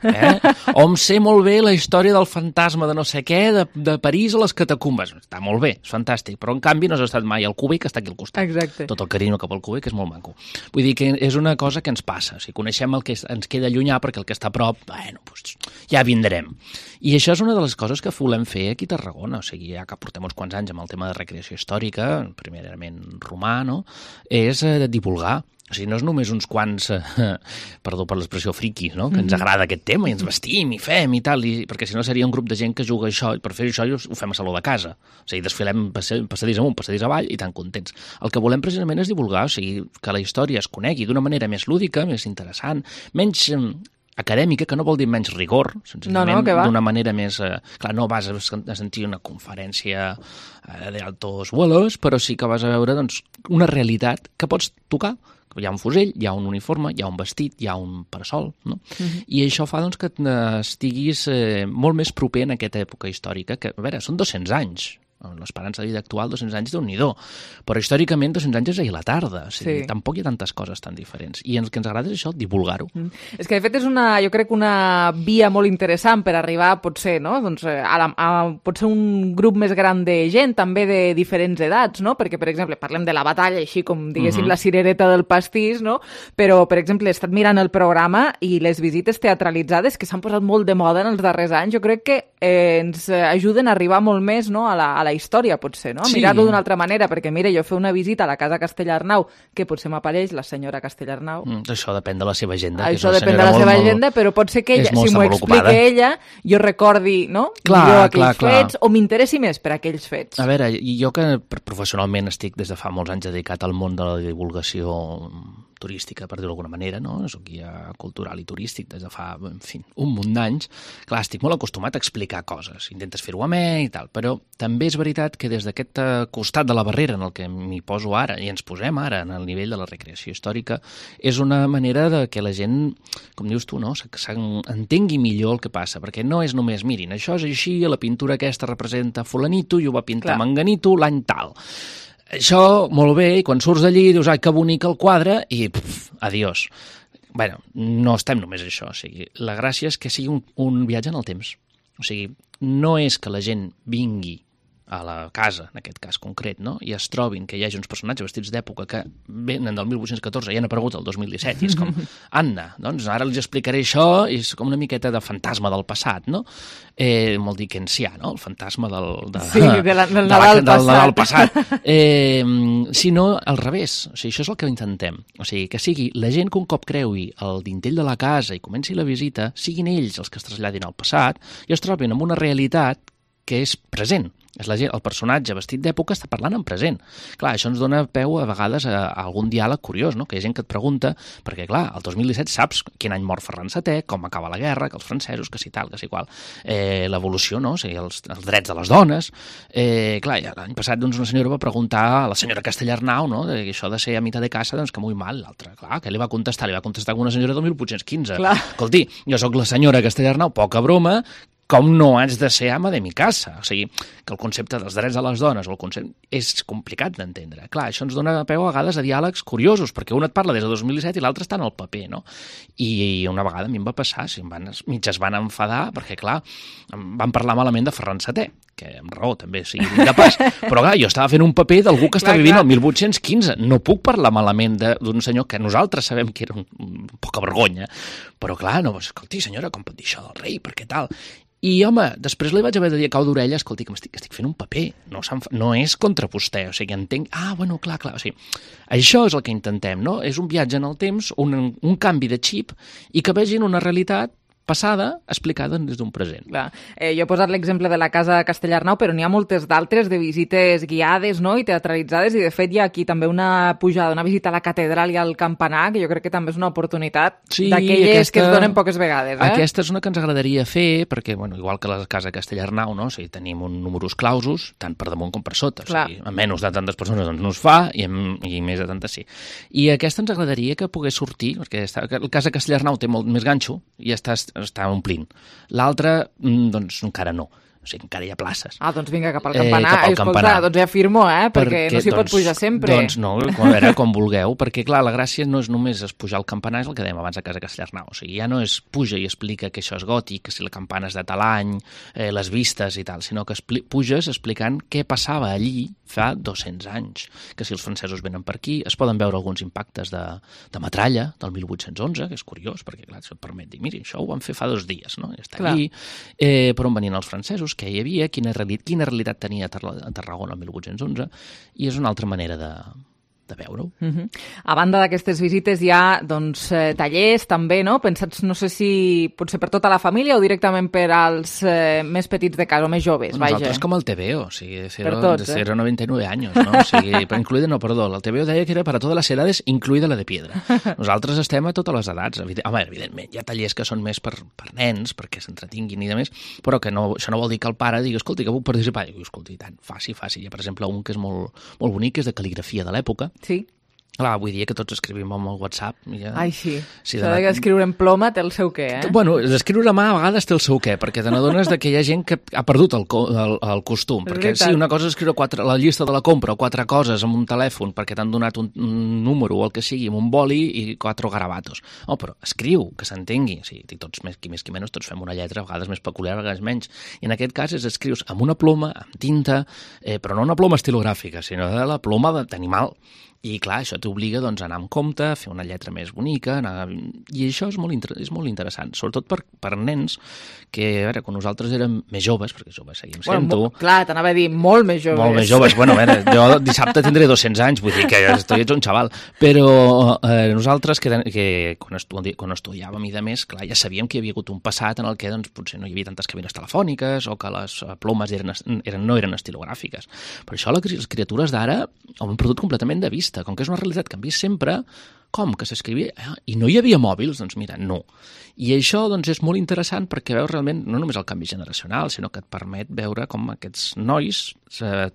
o em sé molt bé la història del fantasma de no sé què, de París a les catacumbes. Està molt bé, és fantàstic, però en canvi no has estat mai al Cúbic, que està aquí al costat. Exacte. Tot el carinyo cap al Cúbic és molt maco. Vull dir que és una cosa que ens passa. O sigui, coneixem el que ens queda llunyà, perquè el que està a prop, bueno, doncs ja vindrem. I això és una de les coses que volem fer aquí a Tarragona. O sigui, ja que portem uns quants anys amb el tema de recreació històrica, primerament romà, no? És divulgar. O sigui, no és només uns quants, perdó per l'expressió friquis, no? Que ens agrada aquest tema i ens vestim i fem i tal, perquè si no seria un grup de gent que juga això, i per fer això ho fem a saló de casa. O sigui, desfilem passadís amunt, passadís avall i tan contents. El que volem precisament és divulgar, o sigui, que la història es conegui d'una manera més lúdica, més interessant, menys acadèmica, que no vol dir menys rigor, senzillament d'una manera més... Clar, no vas a sentir una conferència d'altos vuelos, però sí que vas a veure doncs, una realitat que pots tocar. Hi ha un fusell, hi ha un uniforme, hi ha un vestit, hi ha un parasol, no? I això fa doncs, que estiguis molt més proper en aquesta època històrica, que, a veure, són 200 anys. L'esperança de vida actual, 200 anys, Déu-n'hi-do. Però històricament, 200 anys és ahir la tarda. O sigui, tampoc hi ha tantes coses tan diferents. I el que ens agrada és això, divulgar-ho. És que, de fet, és jo crec, una via molt interessant per arribar, potser, no? Doncs, potser un grup més gran de gent, també de diferents edats, no? Perquè, per exemple, parlem de la batalla, així com, diguéssim, la cirereta del pastís, no? Però, per exemple, he estat mirant el programa i les visites teatralitzades, que s'han posat molt de moda en els darrers anys, jo crec que ens ajuden a arribar molt més, no? a la història, potser, no? Mirar-lo d'una altra manera, perquè, mira, jo fer una visita a la casa Castellarnau, que potser m'apareix la senyora Castellarnau. Això depèn de la seva agenda. Això depèn de la seva agenda, però pot ser que ella, si m'ho explica ella, jo recordi, no? Millor aquells fets, o m'interessi més per aquells fets. A veure, jo que professionalment estic des de fa molts anys dedicat al món de la divulgació turística, per dir-ho d'alguna manera, no? Soc guia cultural i turístic des de fa, en fi, un munt d'anys. Clar, estic molt acostumat a explicar coses, intentes fer-ho amè i tal, però també és veritat que des d'aquest costat de la barrera en el que m'hi poso ara, i ens posem ara en el nivell de la recreació històrica, és una manera de que la gent, com dius tu, no? Entengui millor el que passa, perquè no és només, mirin, això és així, la pintura aquesta representa fulanito i ho va pintar manganito l'any tal. Això, molt bé, i quan surts d'allí dius, ai, que bonic el quadre, i adiós. Bé, no estem només això, o sigui, la gràcia és que sigui un viatge en el temps. O sigui, no és que la gent vingui a la casa, en aquest cas concret, no? I es trobin que hi hagi uns personatges vestits d'època que venen del 1814 i han aparegut el 2017, i és com, anda, doncs ara els explicaré això, i és com una miqueta de fantasma del passat, no? Molt dickensià, no? El fantasma del Nadal passat. Sinó al revés, o sigui, això és el que intentem. O sigui, que sigui la gent que un cop creui el dintell de la casa i comenci la visita, siguin ells els que es traslladin al passat i es trobin amb una realitat que és present. És la gent, el personatge vestit d'època està parlant en present. Clar, això ens dona peu a vegades a algun diàleg curiós, no? Que hi ha gent que et pregunta, perquè clar, el 2017 saps quin any mor Ferran VII, com acaba la guerra, que els francesos, que si tal, que si qual, l'evolució, no? O sigui, els drets de les dones. Clar, l'any passat doncs, una senyora va preguntar a la senyora Castellarnau, no? Que això de ser a mitad de casa, doncs que muy mal. L'altra, clar, què li va contestar? Li va contestar com una senyora del 1815. Clar. Escolti, jo sóc la senyora Castellarnau, poca broma, com no haig de ser ama de mi casa? O sigui, que el concepte dels drets de les dones o el concepte és complicat d'entendre. Clar, això ens dona peu a vegades a diàlegs curiosos, perquè un et parla des de 2017 i l'altre està en el paper, no? I una vegada a mi em va passar, mig es van enfadar, perquè clar, van parlar malament de Ferran VII, que amb raó també, sigui de pas, però clar, jo estava fent un paper d'algú que està vivint el 1815, no puc parlar malament d'un senyor que nosaltres sabem que era un poca vergonya, però clar, no, escolti senyora, com pot dir això del rei, per què tal? I, home, després li vaig haver de dir a cau d'orella, escolti, que estic fent un paper, no és contra vostè, o sigui, entenc... Ah, bueno, clar, o sigui, això és el que intentem, no? És un viatge en el temps, un canvi de xip, i que vegin una realitat passada explicada des d'un present. Clar. Jo he posat l'exemple de la Casa Castellarnau, però n'hi ha moltes d'altres de visites guiades, no?, i teatralitzades, i de fet hi ha aquí també una pujada, una visita a la catedral i al campanar, que jo crec que també és una oportunitat d'aquelles que es donen poques vegades. Aquesta és una que ens agradaria fer, perquè, bueno, igual que la Casa Castellarnau, no?, o sigui, tenim un numerus clausus, tant per damunt com per sota, o sigui, a menys de tantes persones doncs no es fa, i més de tantes sí. I aquesta ens agradaria que pogués sortir, perquè la Casa Castellarnau té molt més ganxo, i està omplint. L'altra, doncs, encara no. O sigui, encara hi ha places. Ah, doncs vinga, cap al campanar. Escolta, doncs ja firmo, perquè no s'hi pot pujar sempre. Doncs no, a veure, com vulgueu, perquè clar, la gràcia no és només pujar al campanar, és el que dèiem abans a Casa Castellarnau. O sigui, ja no és puja i explica que això és gòtic, que si la campana és de tal any, les vistes i tal, sinó que puges explicant què passava allí fa 200 anys. Que si els francesos venen per aquí, es poden veure alguns impactes de metralla del 1811, que és curiós, perquè clar, això et permet dir, miri, això ho van fer fa 2 dies, no? I està allí, per on venien els francesos, què hi havia, quina realitat tenia Tarragona el 1811, i és una altra manera de veure-ho. A banda d'aquestes visites hi ha doncs, tallers també, no? Pensats, no sé si potser per tota la família o directament per als més petits de casa o més joves, vaja. Nosaltres com el TVO, o sigui, de 0,99 anys, no? O sigui, el TVO deia que era per a totes les edades, incluïda la de piedra. Nosaltres estem a totes les edats. Home, evidentment, hi ha tallers que són més per nens, perquè s'entretinguin i de més, però que això no vol dir que el pare digui, escolti, que puc participar. I diu, escolti, tant, faci. Hi ha, per exemple, un que és molt bonic, que és de cal·ligrafia de l'època. Sí. Clar, avui dia que tots escrivim amb el WhatsApp. Ja... Ai, sí. Això d'escriure en ploma té el seu què, Bueno, d'escriure a mà a vegades té el seu què, perquè te n'adones que hi ha gent que ha perdut el costum. Perquè sí, una cosa és escriure la llista de la compra o 4 coses amb un telèfon perquè t'han donat un número o el que sigui, amb un boli i 4 garabatos. Oh, però escriu, que s'entengui. O sigui, tots, qui més qui menys, tots fem una lletra, a vegades més peculiar, a vegades menys. I en aquest cas escrius amb una ploma, amb tinta, però no una ploma estilogràfica, sinó de la ploma d'animal. I clar, això t'obliga doncs, a anar amb compte, a fer una lletra més bonica, i això és molt interessant, sobretot per nens que, a veure, quan nosaltres érem més joves, perquè joves seguim sent-ho... Clar, t'anava a dir, molt més joves. Molt més joves, bueno, a veure, jo dissabte tindré 200 anys, vull dir que ets un xaval, però nosaltres que quan estudiàvem i de més, clar, ja sabíem que hi havia hagut un passat en el que doncs, potser no hi havia tantes cabines telefòniques o que les plomes no eren estilogràfiques. Per això les criatures d'ara ho han perdut completament de vista. Com que és una realitat que hem vist sempre, Com que s'escrivia? I no hi havia mòbils? Doncs mira, no. I això doncs, és molt interessant perquè veus realment no només el canvi generacional, sinó que et permet veure com aquests nois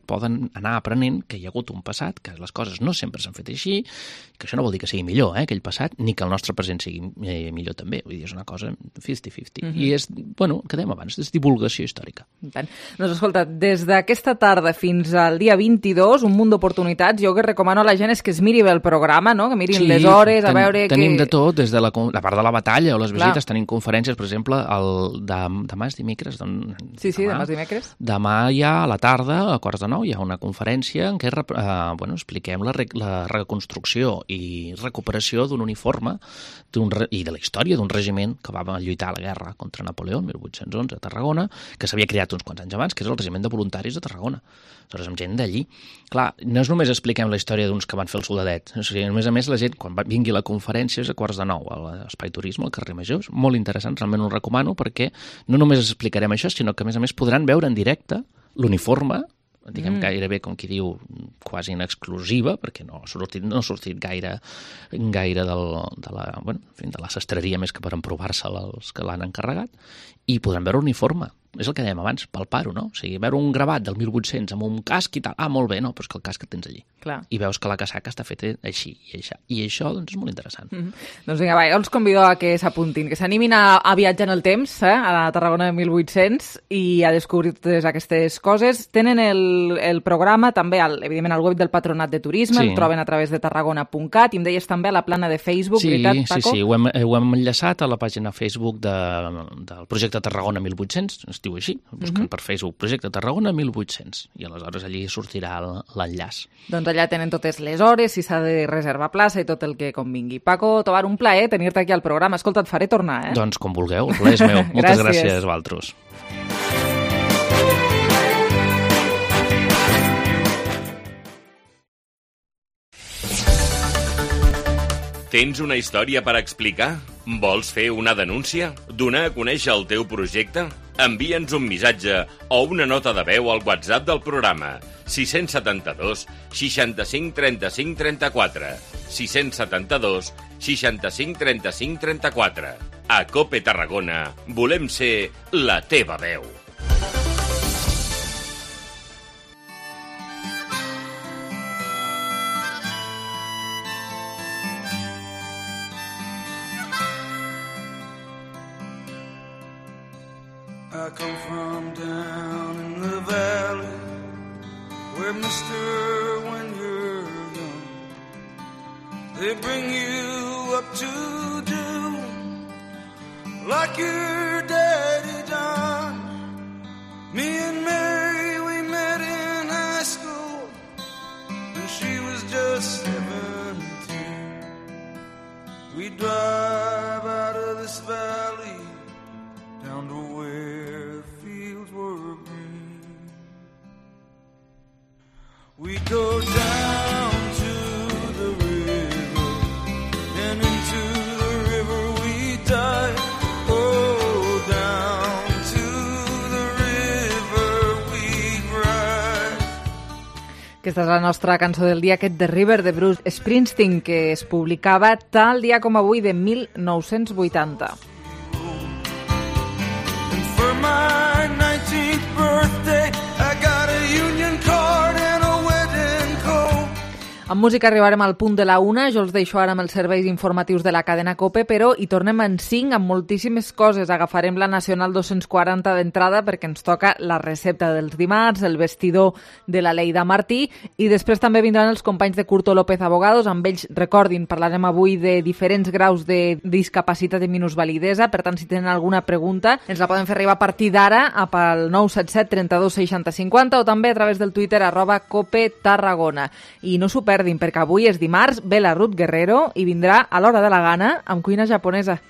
poden anar aprenent que hi ha hagut un passat, que les coses no sempre s'han fet així, que això no vol dir que sigui millor, aquell passat, ni que el nostre present sigui millor també. Vull dir, és una cosa 50-50. I és, bueno, que dèiem abans, és divulgació històrica. Doncs escolta, des d'aquesta tarda fins al dia 22, un munt d'oportunitats. Jo que recomano a la gent és que es miri bé el programa, no? Que mirin les hores, a veure... Tenim de tot, des de la part de la batalla o les visites, tenim conferències, per exemple, demà és dimecres. Sí, demà és dimecres. Demà ja a la tarda, a 8:45, hi ha una conferència en què expliquem la reconstrucció i recuperació d'un uniforme i de la història d'un regiment que va lluitar a la guerra contra Napoleó el 1811 a Tarragona, que s'havia creat uns quants anys abans, que és el regiment de voluntaris de Tarragona. Aleshores, amb gent d'allí. Clar, no és només expliquem la història d'uns que van fer el soldadet, o sigui, a més, la gent, quan vingui la conferència, és a 8:45 a l'Espai Turisme, al carrer Major. És molt interessant, realment ho recomano, perquè no només explicarem això, sinó que, a més, podran veure en directe l'uniforme, diguem gairebé, com qui diu, quasi en exclusiva, perquè no ha sortit gaire de la sastreria més que per emprovar-se'l els que l'han encarregat, i podran veure l'uniforme. És el que dèiem abans, palpar-ho, no? O sigui, veure un gravat del 1800 amb un casc i tal, molt bé, no, però és que el casc el tens allí. Clar. I veus que la casaca està feta així i això. I això, doncs, és molt interessant. Doncs vinga, jo els convido a que s'apuntin, que s'animin a viatjar en el temps, a la Tarragona de 1800, i a descobrir totes aquestes coses. Tenen el programa també, evidentment, al web del Patronat de Turisme, el troben a través de tarragona.cat, i em deies també a la plana de Facebook, veritat, Paco? Sí, ho hem enllaçat a la pàgina Facebook del projecte Tarragona 1800, es diu així, busquen per Facebook Projecte Tarragona 1800, i aleshores allí sortirà l'enllaç. Doncs allà tenen totes les hores, si s'ha de reservar plaça i tot el que convingui. Paco Tobar, un plaer tenir-te aquí al programa. Escolta, et faré tornar, Doncs com vulgueu, el plaer és meu. Moltes gràcies a vosaltres. Tens una història per explicar? Vols fer una denúncia? Donar a conèixer el teu projecte? Envia'ns un missatge o una nota de veu al WhatsApp del programa 672 65 35 34 672 65 35 34. A COPE Tarragona volem ser la teva veu. I come from down in the valley where, mister, when you're young, they bring you up to do like your daddy done. Me and Mary, we met in high school and she was just 17. We drive out of this valley down to where fields were green. We go down to the river, and into the river we dive. Oh, down to the river we ride. Aquesta és la nostra cançó del dia, aquest The River de Bruce Springsteen, que es publicava tal dia com avui de 1980. My 19th birthday, I got a union card and a wedding coat. Amb música arribarem al punt de la 1, jo els deixo ara amb els serveis informatius de la cadena COPE, però hi tornem en 5 amb moltíssimes coses. Agafarem la Nacional 240 d'entrada perquè ens toca la recepta dels dimarts, el vestidor de la Leida Martí, i després també vindran els companys de Curto López Abogados. Amb ells, recordin, parlarem avui de diferents graus de discapacitat i minusvalidesa. Per tant, si tenen alguna pregunta, ens la poden fer arribar a partir d'ara al 977 32 60 50 o també a través del Twitter @COPETarragona. I no s'ho perdin, perquè avui és dimarts, ve la Ruth Guerrero i vindrà a l'hora de la gana amb cuina japonesa.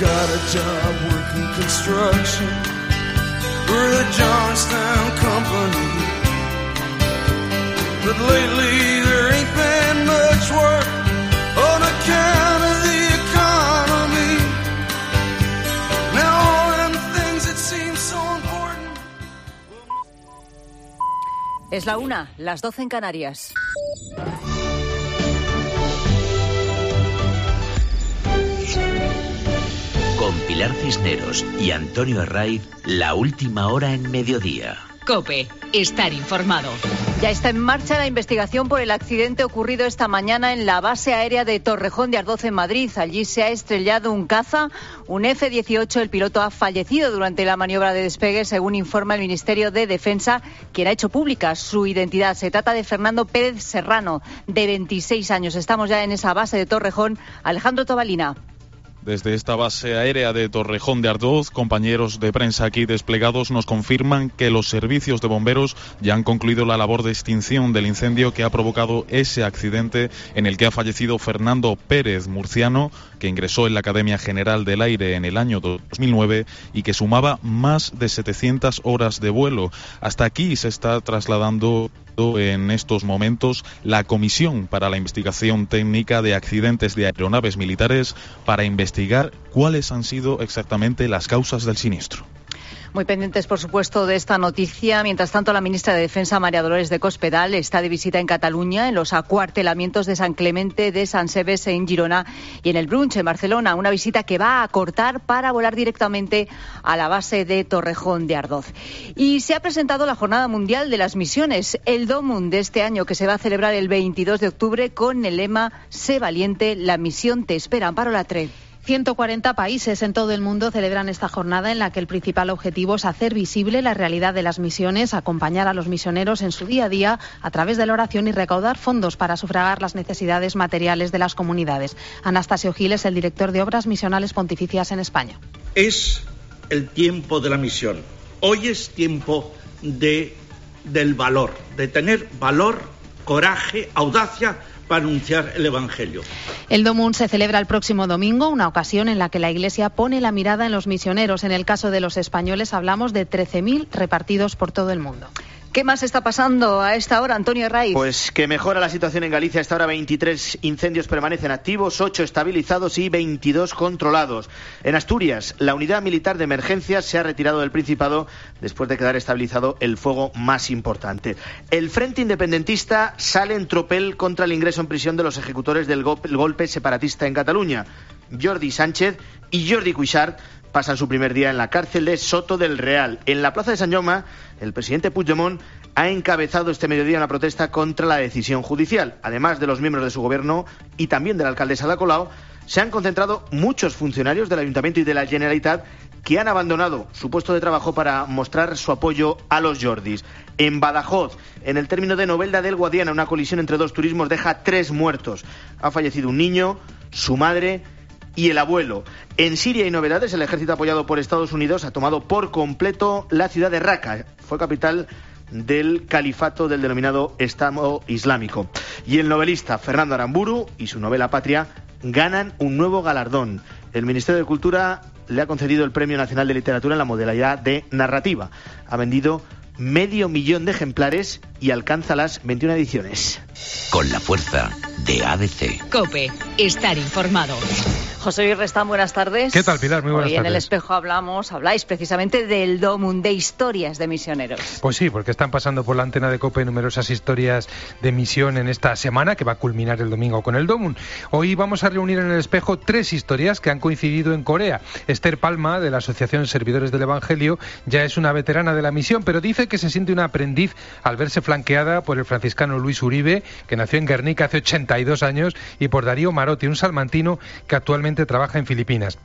Got a job working construction for the Johnstown Company. But lately there ain't been much work on account of the economy. Now all them things that seem so important. Es la 1, las 12 en Canarias. Con Pilar Cisneros y Antonio Herraiz, la última hora en mediodía. COPE, estar informado. Ya está en marcha la investigación por el accidente ocurrido esta mañana en la base aérea de Torrejón de Ardoz en Madrid. Allí se ha estrellado un caza, un F-18. El piloto ha fallecido durante la maniobra de despegue, según informa el Ministerio de Defensa, quien ha hecho pública su identidad. Se trata de Fernando Pérez Serrano, de 26 años. Estamos ya en esa base de Torrejón. Alejandro Tobalina. Desde esta base aérea de Torrejón de Ardoz, compañeros de prensa aquí desplegados nos confirman que los servicios de bomberos ya han concluido la labor de extinción del incendio que ha provocado ese accidente en el que ha fallecido Fernando Pérez, murciano, que ingresó en la Academia General del Aire en el año 2009 y que sumaba más de 700 horas de vuelo. Hasta aquí se está trasladando en estos momentos la Comisión para la Investigación Técnica de Accidentes de Aeronaves Militares para investigar cuáles han sido exactamente las causas del siniestro. Muy pendientes, por supuesto, de esta noticia. Mientras tanto, la ministra de Defensa, María Dolores de Cospedal, está de visita en Cataluña, en los acuartelamientos de San Clemente de Sant Seves en Girona y en el Brunch, en Barcelona. Una visita que va a acortar para volar directamente a la base de Torrejón de Ardoz. Y se ha presentado la Jornada Mundial de las Misiones, el DOMUN de este año, que se va a celebrar el 22 de octubre con el lema Sé valiente, la misión te espera. Amparo Latre. 140 países en todo el mundo celebran esta jornada en la que el principal objetivo es hacer visible la realidad de las misiones, acompañar a los misioneros en su día a día a través de la oración y recaudar fondos para sufragar las necesidades materiales de las comunidades. Anastasio Gil es el director de Obras Misionales Pontificias en España. Es el tiempo de la misión. Hoy es tiempo del valor, de tener valor, coraje, audacia para anunciar el Evangelio. El DOMUN se celebra el próximo domingo, una ocasión en la que la Iglesia pone la mirada en los misioneros. En el caso de los españoles hablamos de 13.000 repartidos por todo el mundo. ¿Qué más está pasando a esta hora, Antonio Herraiz? Pues que mejora la situación en Galicia. A esta hora 23 incendios permanecen activos, 8 estabilizados y 22 controlados. En Asturias, la unidad militar de emergencias se ha retirado del Principado después de quedar estabilizado el fuego más importante. El Frente Independentista sale en tropel contra el ingreso en prisión de los ejecutores del golpe separatista en Cataluña. Jordi Sánchez y Jordi Cuixart pasan su primer día en la cárcel de Soto del Real. En la plaza de Sant Jaume, el presidente Puigdemont ha encabezado este mediodía una protesta contra la decisión judicial. Además de los miembros de su gobierno y también de la alcaldesa Ada Colau, se han concentrado muchos funcionarios del Ayuntamiento y de la Generalitat que han abandonado su puesto de trabajo para mostrar su apoyo a los Jordis. En Badajoz, en el término de Novelda del Guadiana, una colisión entre dos turismos deja 3 muertos. Ha fallecido un niño, su madre y el abuelo. En Siria hay novedades. El ejército apoyado por Estados Unidos ha tomado por completo la ciudad de Raqqa. Fue capital del califato del denominado Estado Islámico. Y el novelista Fernando Aramburu y su novela Patria ganan un nuevo galardón. El Ministerio de Cultura le ha concedido el Premio Nacional de Literatura en la modalidad de narrativa. Ha vendido 500.000 de ejemplares y alcanza las 21 ediciones. Con la fuerza de ADC. COPE, estar informado. José Luis Restán, buenas tardes. ¿Qué tal, Pilar? Muy buenas tardes. Hoy en El Espejo habláis precisamente del DOMUN, de historias de misioneros. Pues sí, porque están pasando por la antena de COPE numerosas historias de misión en esta semana, que va a culminar el domingo con el DOMUN. Hoy vamos a reunir en El Espejo 3 historias que han coincidido en Corea. Esther Palma, de la Asociación Servidores del Evangelio, ya es una veterana de la misión, pero dice que se siente una aprendiz al verse flanqueada por el franciscano Luis Uribe, que nació en Guernica hace 82 años, y por Darío Marotti, un salmantino que actualmente trabaja en Filipinas.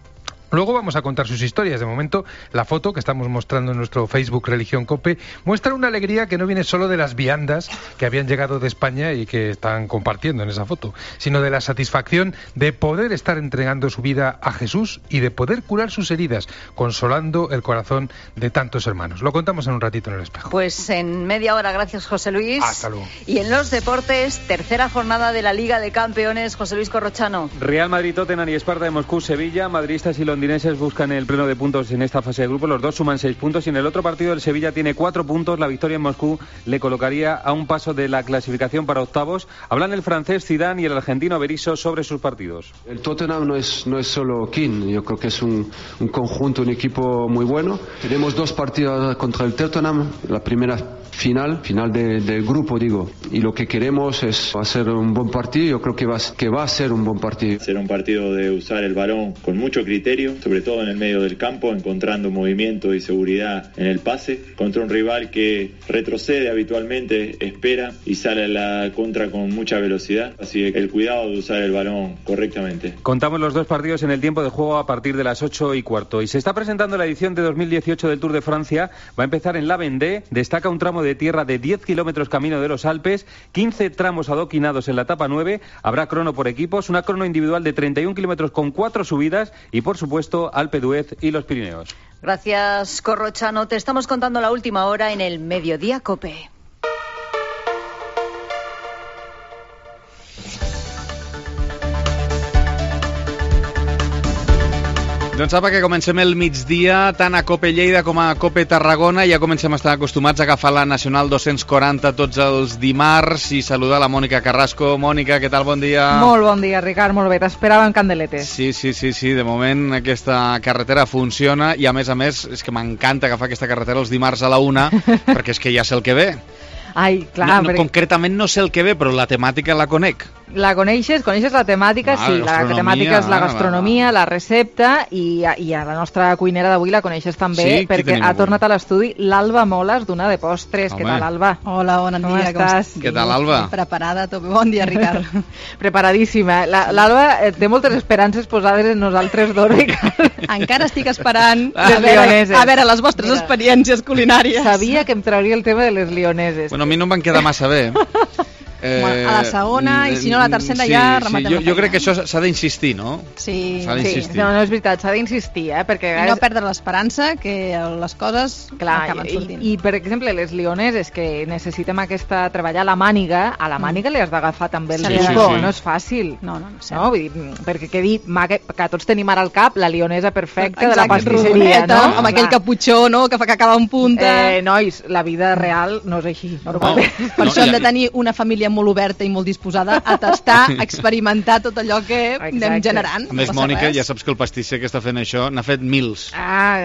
Luego vamos a contar sus historias. De momento, la foto que estamos mostrando en nuestro Facebook Religión COPE muestra una alegría que no viene solo de las viandas que habían llegado de España y que están compartiendo en esa foto, sino de la satisfacción de poder estar entregando su vida a Jesús y de poder curar sus heridas, consolando el corazón de tantos hermanos. Lo contamos en un ratito en El Espejo. Pues en media hora, gracias José Luis. Hasta luego. Y en los deportes, tercera jornada de la Liga de Campeones, José Luis Corrochano. Real Madrid, Tottenham y Esparta de Moscú, Sevilla, madridistas y londinenses londinenses buscan el pleno de puntos en esta fase de grupo. Los dos suman 6 puntos y en el otro partido el Sevilla tiene 4 puntos. La victoria en Moscú le colocaría a un paso de la clasificación para octavos. Hablan el francés Zidane y el argentino Berizzo sobre sus partidos. El Tottenham no es solo Keane, yo creo que es un conjunto, un equipo muy bueno. Tenemos 2 partidos contra el Tottenham, la primera final del grupo, digo, y lo que queremos es hacer un buen partido. Yo creo que va a ser un buen partido. Será un partido de usar el balón con mucho criterio, sobre todo en el medio del campo, encontrando movimiento y seguridad en el pase, contra un rival que retrocede habitualmente, espera y sale a la contra con mucha velocidad, así que el cuidado de usar el balón correctamente. Contamos los 2 partidos en el tiempo de juego a partir de las 8:15 y se está presentando la edición de 2018 del Tour de Francia. Va a empezar en La Vendée, destaca un tramo de tierra de 10 kilómetros camino de los Alpes, 15 tramos adoquinados en la etapa 9, habrá crono por equipos, una crono individual de 31 kilómetros con 4 subidas y, por supuesto, Alpe d'Huez y los Pirineos. Gracias, Corrochano. Te estamos contando la última hora en el Mediodía COPE. Doncs apa, que comencem el migdia, tant a COPE Lleida com a COPE Tarragona. Ja comencem a estar acostumats a agafar la Nacional 240 tots els dimarts i saludar la Mònica Carrasco. Mònica, què tal? Bon dia. Molt bon dia, Ricard, molt bé. T'esperava en candeletes. Sí. De moment aquesta carretera funciona i, a més, és que m'encanta agafar aquesta carretera els dimarts a la 1 perquè és que ja sé el que ve. Ai, clar, no, concretament no sé el que ve, però la temàtica la conec. La coneixes la temàtica, sí. La temàtica és la gastronomia, la recepta i a la nostra cuinera d'avui la coneixes també, sí, perquè ha tornat a l'estudi l'Alba Moles d'Una de Postres. Home. Què tal, Alba? Hola, bon dia, com estàs? Què tal, Alba? Preparada, tot bé. Bon dia, Ricard. Preparadíssima. L'Alba té moltes esperances posades en nosaltres dos, Ricard. Encara estic esperant a veure les vostres experiències culinàries. Sabia que em trauria el tema de les lioneses. Bueno, a mi no em van quedar massa bé. A la segona, i si no a la tercera ja rematem. Jo crec que això s'ha d'insistir, no? Sí. No, és veritat, s'ha d'insistir, perquè... I no perdre l'esperança que les coses acaben sortint. I, per exemple, les lioneses que necessitem treballar a la màniga, li has d'agafar també el truco, no és fàcil. No, vull dir, perquè quedi que tots tenim ara al cap la lionesa perfecta de la pastisseria, no? Amb aquell caputxó, no?, que fa que acaba en punta. Nois, la vida real no és així. Per això hem de tenir una família molt oberta i molt disposada a tastar, a experimentar tot allò que anem generant. A més, Mònica, ja saps que el pastisser que està fent això n'ha fet 1000.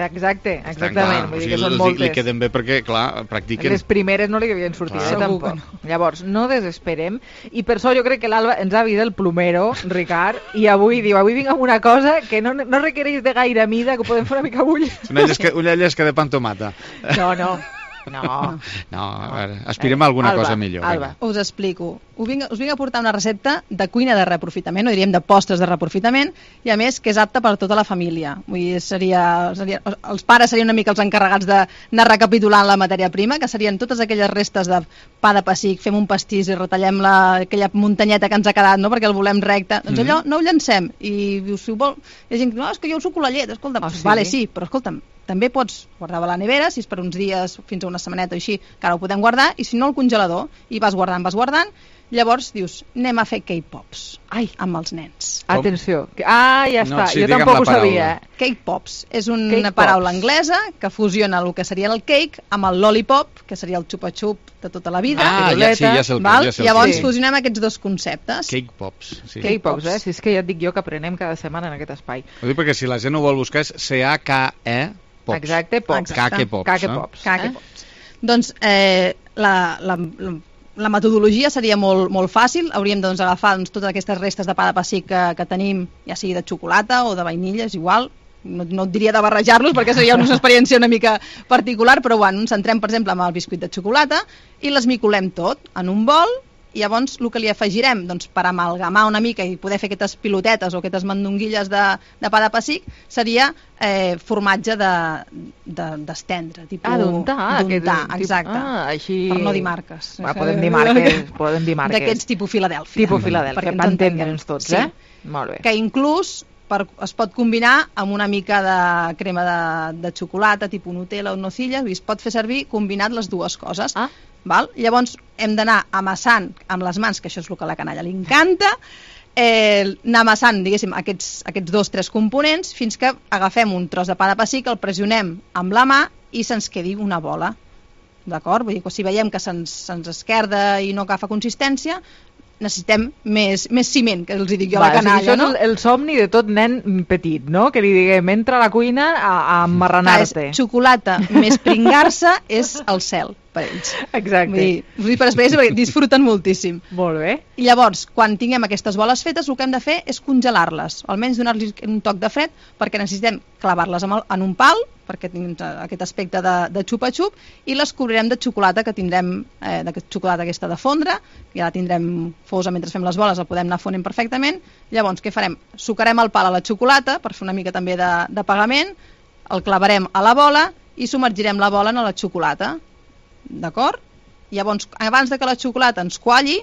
Exactament. Vull dir que són moltes. Li queden bé perquè, clar, practiquen. Les primeres no li havien sortit, tampoc. Llavors, no desesperem. I per això jo crec que l'Alba ens ha vist el plomero, Ricard, i avui vinc amb una cosa que no requereix de gaire mida, que ho podem fer una mica bull. Una llesca de pa amb tomata. No, a veure, aspirem a alguna cosa millor. Alba, us explico. Us vinc a portar una recepta de cuina de reaprofitament, o diríem de postres de reaprofitament, i a més que és apta per a tota la família. Vull dir, els pares serien una mica els encarregats d'anar recapitulant la matèria prima, que serien totes aquelles restes de pa de pessic, fem un pastís i retallem aquella muntanyeta que ens ha quedat, no?, perquè el volem recte. Doncs allò no ho llancem. I dius, si ho vol... Hi ha gent que diu, és que jo ho suco la llet, escolta'm. Vale, sí, però escolta'm, també pots guardar a la nevera, si és per uns dies, fins a una setmaneta o així, que ara ho podem guardar, i si no al congelador, i vas guardant, llavors dius, anem a fer cake pops amb els nens. Atenció. Ja està, jo tampoc ho sabia. Cake pops és una paraula anglesa que fusiona el que seria el cake amb el lollipop, que seria el xupa-xup de tota la vida. Ja sé el que. Llavors fusionem aquests dos conceptes. Cake pops. Cake pops, si és que ja et dic jo que aprenem cada setmana en aquest espai. Ho dic perquè si la gent ho vol buscar és C-A-K-E Pops. Exacte, pops. Cake pops. Doncs la metodologia seria molt fàcil. Hauríem d'agafar totes aquestes restes de pa de pessic que tenim, ja sigui de xocolata o de vainilla, és igual. No et diria de barrejar-los perquè seria una experiència una mica particular, però bueno, ens centrem, per exemple, amb el biscuit de xocolata i l'esmicolem tot en un bol. I llavors el que li afegirem, doncs, per amalgamar una mica i poder fer aquestes pilotetes o aquestes mandonguilles de pa de pessic, seria formatge d'estendre, tipus d'untar, exacte, per no dir marques. Podem dir marques. D'aquests tipus Filadèlfia. Per entendre'ns tots, Molt bé. Que inclús es pot combinar amb una mica de crema de xocolata, tipus Nutella o nocilla, es pot fer servir combinat les dues coses. Val? Llavors hem d'anar amassant amb les mans, que això és el que a la canalla li encanta, anar amassant, diguéssim, aquests 2-3 components fins que agafem un tros de pa de pessic, el pressionem amb la mà i se'ns quedi una bola. D'acord? Vull dir que si veiem que se'ns esquerda i no agafa consistència, necessitem més ciment, que els dic jo a la canalla, no? El somni de tot nen petit, no? Que li diguem, entra a la cuina a emmarranar-te. Xocolata més pringar-se és el cel per ells. Exacte. Vull dir per experiència perquè disfruten moltíssim. Molt bé. I llavors, quan tinguem aquestes boles fetes, el que hem de fer és congelar-les, almenys donar-li un toc de fred, perquè necessitem clavar-les en un pal, perquè tinguin aquest aspecte de xupa-xup, i les cobrirem de xocolata que tindrem, de xocolata aquesta de fondre, ja la tindrem fosa mentre fem les boles, la podem anar fonent perfectament. Llavors, què farem? Sucarem el pal a la xocolata, per fer una mica també de pagament, el clavarem a la bola i submergirem la bola en la xocolata. D'acord? Llavors, abans que la xocolata ens qualli,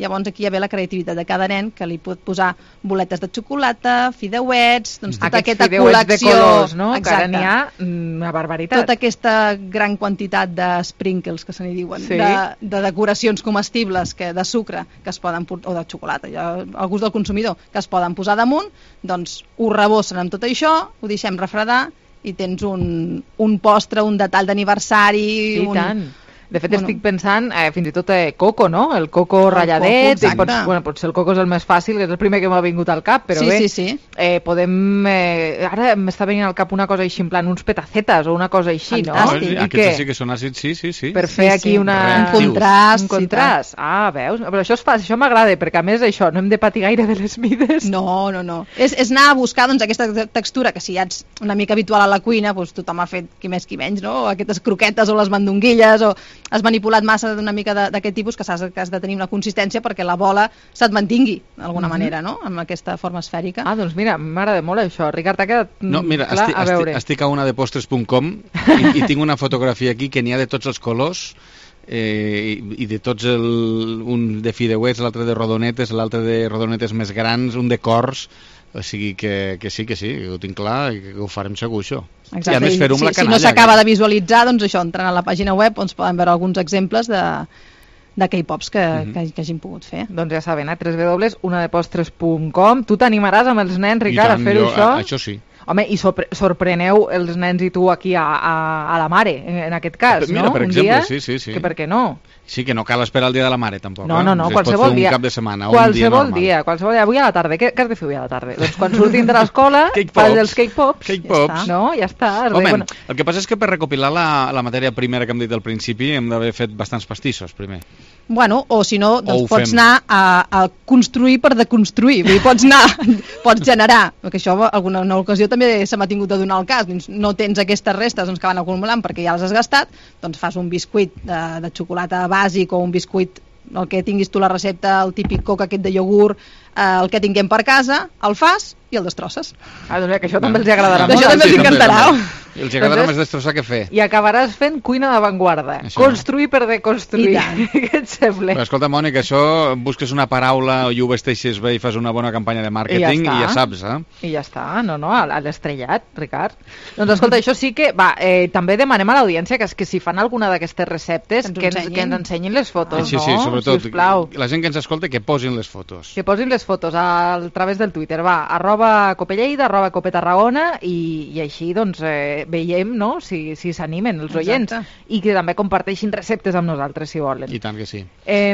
llavors aquí hi ha la creativitat de cada nen, que li pot posar boletes de xocolata, fideuets, doncs tota aquesta col·lecció de colors, no? Que ara n'hi ha una barbaritat. Tota aquesta gran quantitat de sprinkles, que se n'hi diuen, sí. de decoracions comestibles de sucre que es poden, o de xocolata, ja, al gust del consumidor, que es poden posar damunt, doncs ho rebossen amb tot això, ho deixem refredar i tens un postre, un detall d'aniversari. I tant. De fet, estic pensant fins i tot coco, no? El coco ratlladet. Potser el coco és el més fàcil, és el primer que m'ha vingut al cap, però sí. Podem... Ara m'està venint al cap una cosa així, en plan, uns petacetes o una cosa així, no? Aquests sí que són àcids, sí. Per fer aquí un contrast. Veus? Però això m'agrada, perquè a més això, no hem de patir gaire de les mides. No. És anar a buscar aquesta textura, que si ja ets una mica habitual a la cuina, doncs tothom ha fet qui més qui menys, no? Aquestes croquetes o les mandonguilles, o has manipulat massa d'una mica d'aquest tipus, que has de tenir una consistència perquè la bola se't mantingui d'alguna manera, no? Amb aquesta forma esfèrica. Doncs mira, m'agrada molt això. Ricard, t'ha quedat clar? A veure. Estic a unadepostres.com i tinc una fotografia aquí que n'hi ha de tots els colors i de tots un de fideuets, l'altre de rodonetes, l'altre de rodonetes més grans, un de cors. O sigui que sí, ho tinc clar i que ho farem segur, això. Exacte. I a més fer-ho amb la canalla. Si no s'acaba de visualitzar, doncs això, entrant a la pàgina web on es poden veure alguns exemples de K-pops que hagin pogut fer. Doncs ja saben, www.unadepostres.com. Tu t'animaràs amb els nens, Ricard, a fer-ho això? Això sí. Home, i sorpreneu els nens i tu aquí a la mare, en aquest cas, no? Mira, per exemple, sí. Que per què no? Sí, que no cal esperar el dia de la mare, tampoc. No, qualsevol dia. Un cap de setmana, qualsevol dia. Avui a la tarda. Què has de fer avui a la tarda? Doncs quan surtin de l'escola, fas els cake-pops. No, ja està. Home, el que passa és que per recopilar la matèria primera que hem dit al principi hem d'haver fet bastants pastissos, primer. Bueno, o si no, doncs pots anar a construir per deconstruir. Vull dir, pots generar, perquè això alguna ocasió també se m'ha tingut de donar el cas. No tens aquestes restes que van acumulant perquè ja les has gastat, doncs fas un biscuit de xocolata bàsic o un biscuit, el que tinguis tu la recepta, el típic coc aquest de iogurt, el que tinguem per casa, el fas i el destrosses. Doncs que això també els agradarà molt. Això també els encantarà. I els agradarà més destrossar que fer. I acabaràs fent cuina d'avantguarda. Construir per deconstruir. Què et sembla? Però escolta, Mònica, això busques una paraula i ho vesteixes bé i fas una bona campanya de màrqueting i ja saps, I ja està, a l'estrellat, Ricard. Doncs escolta, això sí que, també demanem a l'audiència que si fan alguna d'aquestes receptes, que ens ensenyin les fotos, no? Sí, sobretot, la gent que ens escolta que posin les fotos. Que posin les fotos a través del Twitter, @copelleida, @copetarragona i així, doncs, veiem, no?, si s'animen els oients. I que també comparteixin receptes amb nosaltres, si volen. I tant que sí.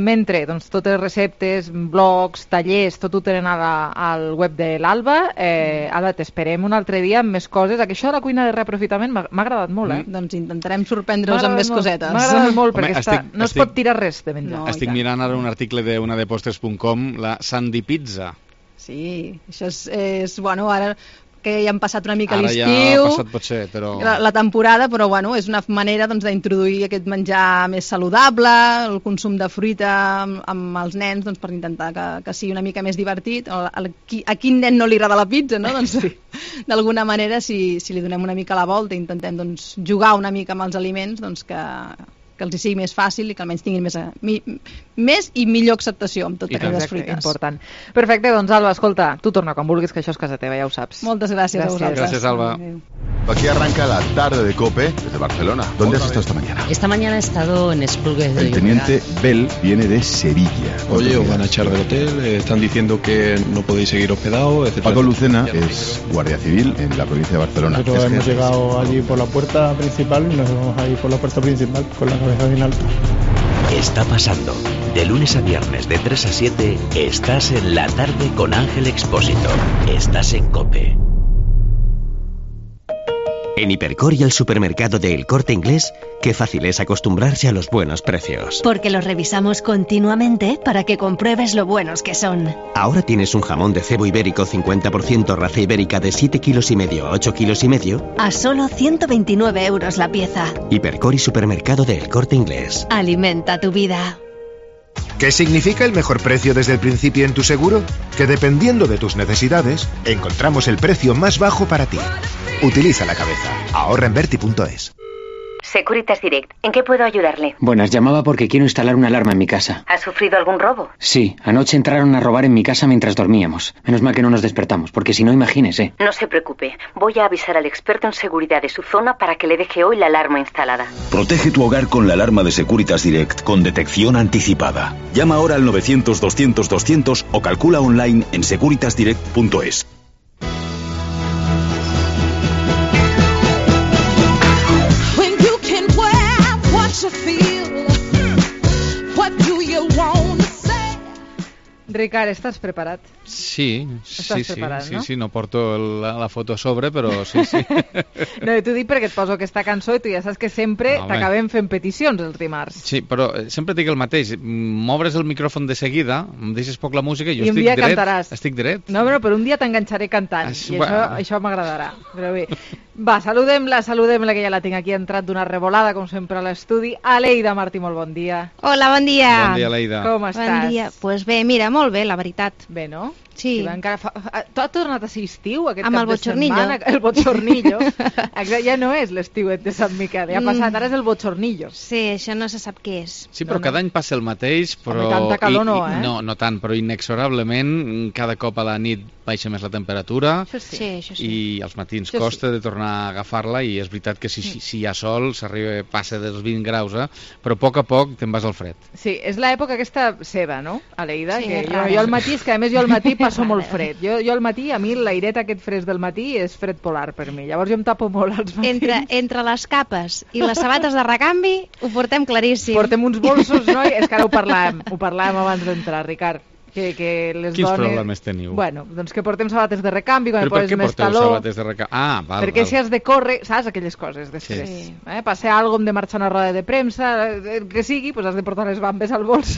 Mentre, doncs, totes receptes, blogs, tallers, tot ho tenen al web de l'Alba. Alba, t'esperem un altre dia amb més coses. Això de la cuina de reaprofitament m'ha agradat molt, Doncs intentarem sorprendre-us amb més cosetes. M'ha agradat molt, perquè no es pot tirar res de menjar. Estic mirant ara un article d'unadepostres.com, la Sandy Pizza. Sí, això és bueno, ara que ja han passat una mica l'estiu, ja ha passat potser, però... la temporada, però bueno, és una manera d'introduir aquest menjar més saludable, el consum de fruita amb els nens, doncs, per intentar que sigui una mica més divertit. A quin nen no li agrada la pizza, no? Doncs d'alguna manera, si li donem una mica la volta i intentem, doncs, jugar una mica amb els aliments, doncs que els hi sigui més fàcil i que almenys tinguin més i millor acceptació amb totes aquelles fruites. Important. Perfecte, doncs Alba, escolta, tu torna quan vulguis, que això és casa teva, ja ho saps. Moltes gràcies a vosaltres. Gràcies, Alba. Aquí arranca la tarde de COPE desde Barcelona. ¿Dónde has estado esta mañana? Esta mañana he estado en Esplugues de El teniente Bell viene de Sevilla. Oye, os van a echar del hotel, están diciendo que no podéis seguir hospedados, etc. Paco Lucena es guardia civil en la provincia de Barcelona. Nosotros hemos llegado allí por la puerta principal y nos vamos a ir por la puerta principal con la cabeza bien alta. Está pasando. De lunes a viernes de 3 a 7 estás en la tarde con Ángel Expósito. Estás en COPE. En Hipercor y el supermercado de El Corte Inglés, qué fácil es acostumbrarse a los buenos precios. Porque los revisamos continuamente para que compruebes lo buenos que son. Ahora tienes un jamón de cebo ibérico 50% raza ibérica de 7,5 kilos a 8,5 kilos a solo 129 euros la pieza. Hipercor y supermercado de El Corte Inglés. Alimenta tu vida. ¿Qué significa el mejor precio desde el principio en tu seguro? Que dependiendo de tus necesidades, encontramos el precio más bajo para ti. Utiliza la cabeza. Ahorra en Berti.es. Securitas Direct, ¿en qué puedo ayudarle? Buenas, llamaba porque quiero instalar una alarma en mi casa. ¿Ha sufrido algún robo? Sí, anoche entraron a robar en mi casa mientras dormíamos. Menos mal que no nos despertamos, porque si no, imagínese. No se preocupe, voy a avisar al experto en seguridad de su zona para que le deje hoy la alarma instalada. Protege tu hogar con la alarma de Securitas Direct con detección anticipada. Llama ahora al 900-200-200 o calcula online en securitasdirect.es. Ricard, ¿estás preparat? Sí, preparat, no? Sí, no porto la foto a sobre, però sí. No, t'ho dic perquè et poso aquesta cançó i tu ja saps que sempre t'acabem fent peticions els dimarts. Sí, però sempre dic el mateix. M'obres el micròfon de seguida, em deixes poc la música i jo estic dret. Cantaràs. Estic dret. No, però un dia t'enganxaré cantant i això m'agradarà. Però bé, va, saludem-la, que ja la tinc aquí, entrat d'una revolada, com sempre, a l'estudi. Aleida Martí, molt bon dia. Hola, bon dia. Bon dia, Aleida. Com estàs? Bon dia. Pues bé, mira, molt bé, la veritat. Bé, no? Sí. Tu has tornat a ser estiu aquest amb cap de setmana? El botxornillo. Ja no és l'estiuet de Sant Miquel, ja ha passat, ara és el botxornillo. Sí, això no se sap què és. Sí, però cada any passa el mateix, però... Home, tanta calor no, eh? No tant, però inexorablement cada cop a la nit baixa més la temperatura. Això sí. I als matins costa de tornar a agafar-la i és veritat que si hi ha sol passa dels 20 graus, però a poc te'n vas al fred. Sí, és l'època aquesta seva, no, Aleida? Sí, que jo al matí, és que a més jo al matí passo molt fred. Jo al matí, a mi l'airet aquest fresc del matí és fred polar per mi. Llavors jo em tapo molt als matins. Entre les capes i les sabates de recanvi ho portem claríssim. Portem uns bolsos, no? És que ara ho parlàvem abans d'entrar, Ricard. Que les Quins dones... problemes teniu? Bueno, doncs que portem sabates de recanvi, quan però poses més calor... Però per què porteu sabates de recanvi? Ah, val. Perquè si has de córrer, saps aquelles coses després? Sí. Passear algo, hem de marxar una roda de premsa, que sigui, pues has de portar les bambes al bols.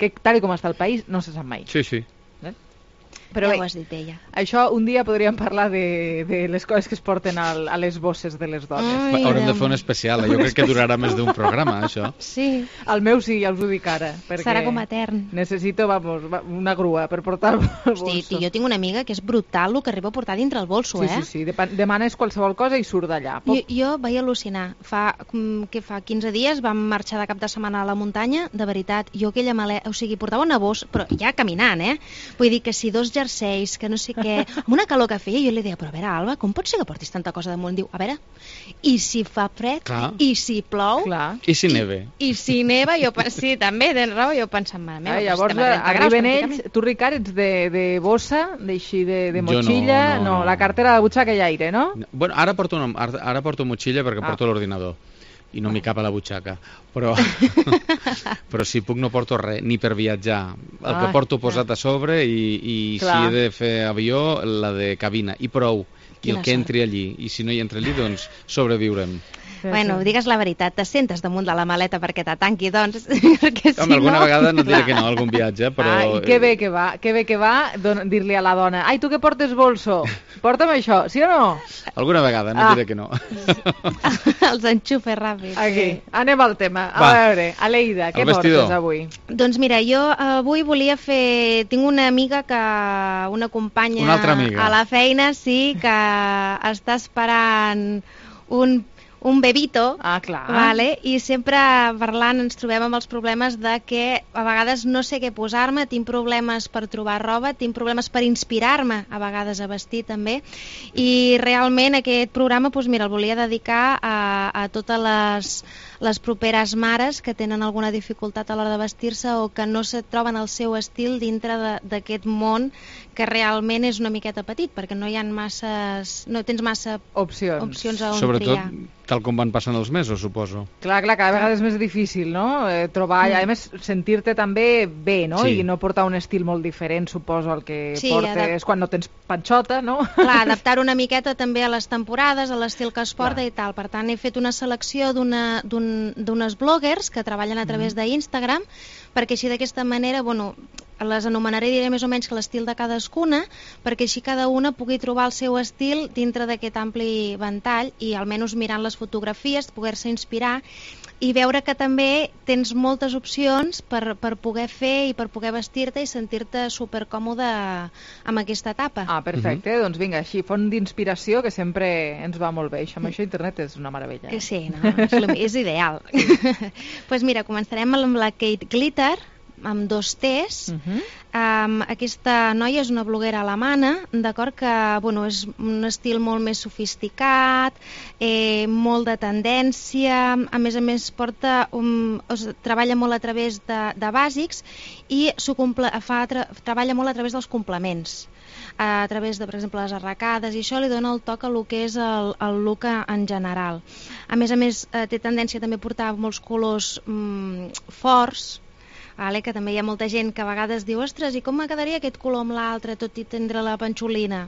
Que tal com està el país, no se sap mai. Sí. Però ja ho has dit ella. Això un dia podríem parlar de les coses que es porten a les bosses de les dones. Haurem de fer un especial, jo crec que durarà més d'un programa, això. Sí. El meu sí, ja us ho dic ara. Serà com etern. Necessito, una grua per portar el bolso. Hosti, jo tinc una amiga que és brutal el que arriba a portar dintre el bolso, Sí. Demanes qualsevol cosa i surt d'allà. Jo vaig al·lucinar. Fa 15 dies vam marxar de cap de setmana a la muntanya, de veritat, jo aquella maleta, o sigui, portava una bossa, però ja caminant, Vull dir que si 2 jerseis, que no sé què, amb una calor que feia, jo li deia, però a veure, Alba, com pot ser que portis tanta cosa damunt? Diu, a veure, i si fa fred, i si plou, i si neve. I si neva, sí, també, tens raó, jo pensant, mare meva, llavors arriben ells, tu, Ricard, ets de bossa, d'així de motxilla, no, la cartera de butxaca i aire, no? Bueno, ara porto motxilla perquè porto l'ordinador i no m'hi cap a la butxaca, però si puc no porto res, ni per viatjar. El que porto posat a sobre i si he de fer avió, la de cabina, i prou. I el que entri allí, i si no hi entra allí, doncs sobreviurem. Bueno, digues la veritat, te sentes damunt de la maleta perquè t'atanqui, doncs, perquè si alguna vegada no et diré que no, algun viatge, però... I que bé que va dir-li a la dona, ai, tu que portes bolso, porta'm això, sí o no? Alguna vegada, no diré que no. Els enxufes ràpids. Aquí, anem al tema. A veure, Aleida, què portes avui? Doncs mira, jo avui volia fer... Tinc una amiga, una companya a la feina, sí, que està esperant un un bebito, clar. Vale? I sempre parlant ens trobem amb els problemes de que a vegades no sé què posar-me, tinc problemes per trobar roba, tinc problemes per inspirar-me a vegades a vestir també, i realment aquest programa doncs mira, el volia dedicar a totes les properes mares que tenen alguna dificultat a l'hora de vestir-se o que no se troben el seu estil dintre d'aquest món que realment és una miqueta petit, perquè no hi ha no tens massa opcions on triar. Sobretot tal com van passant els mesos, suposo. Clar, cada vegada és més difícil, no? Trobar, a més, sentir-te també bé, no? Sí. I no portar un estil molt diferent, suposo, al que Sí, portes quan no tens panxota, no? Clar, adaptar una miqueta també a les temporades, a l'estil que es porta i tal. Per tant, he fet una selecció d'unes bloggers que treballen a través d'Instagram, perquè així d'aquesta manera, bueno, les anomenaré, diré més o menys que l'estil de cadascuna, perquè així cada una pugui trobar el seu estil dintre d'aquest ampli ventall i almenys mirant les fotografies, poder-se inspirar i veure que també tens moltes opcions per poder fer i per poder vestir-te i sentir-te supercòmode amb aquesta etapa. Perfecte, doncs vinga, així, font d'inspiració que sempre ens va molt bé. Amb això internet és una meravella. Que sí, no? És ideal. Doncs mira, començarem amb la Kate Glitter, amb 2 T's. Aquesta noia és una bloguera alemana, d'acord, que bueno, és un estil molt més sofisticat, molt de tendència, a més treballa molt a través de bàsics i treballa molt a través dels complements, a través de, per exemple, les arracades, i això li dona el toc a lo que és el look en general. A més, té tendència també a portar molts colors forts, que també hi ha molta gent que a vegades diu ostres, i com me quedaria aquest color amb l'altre tot i tindre la panxolina?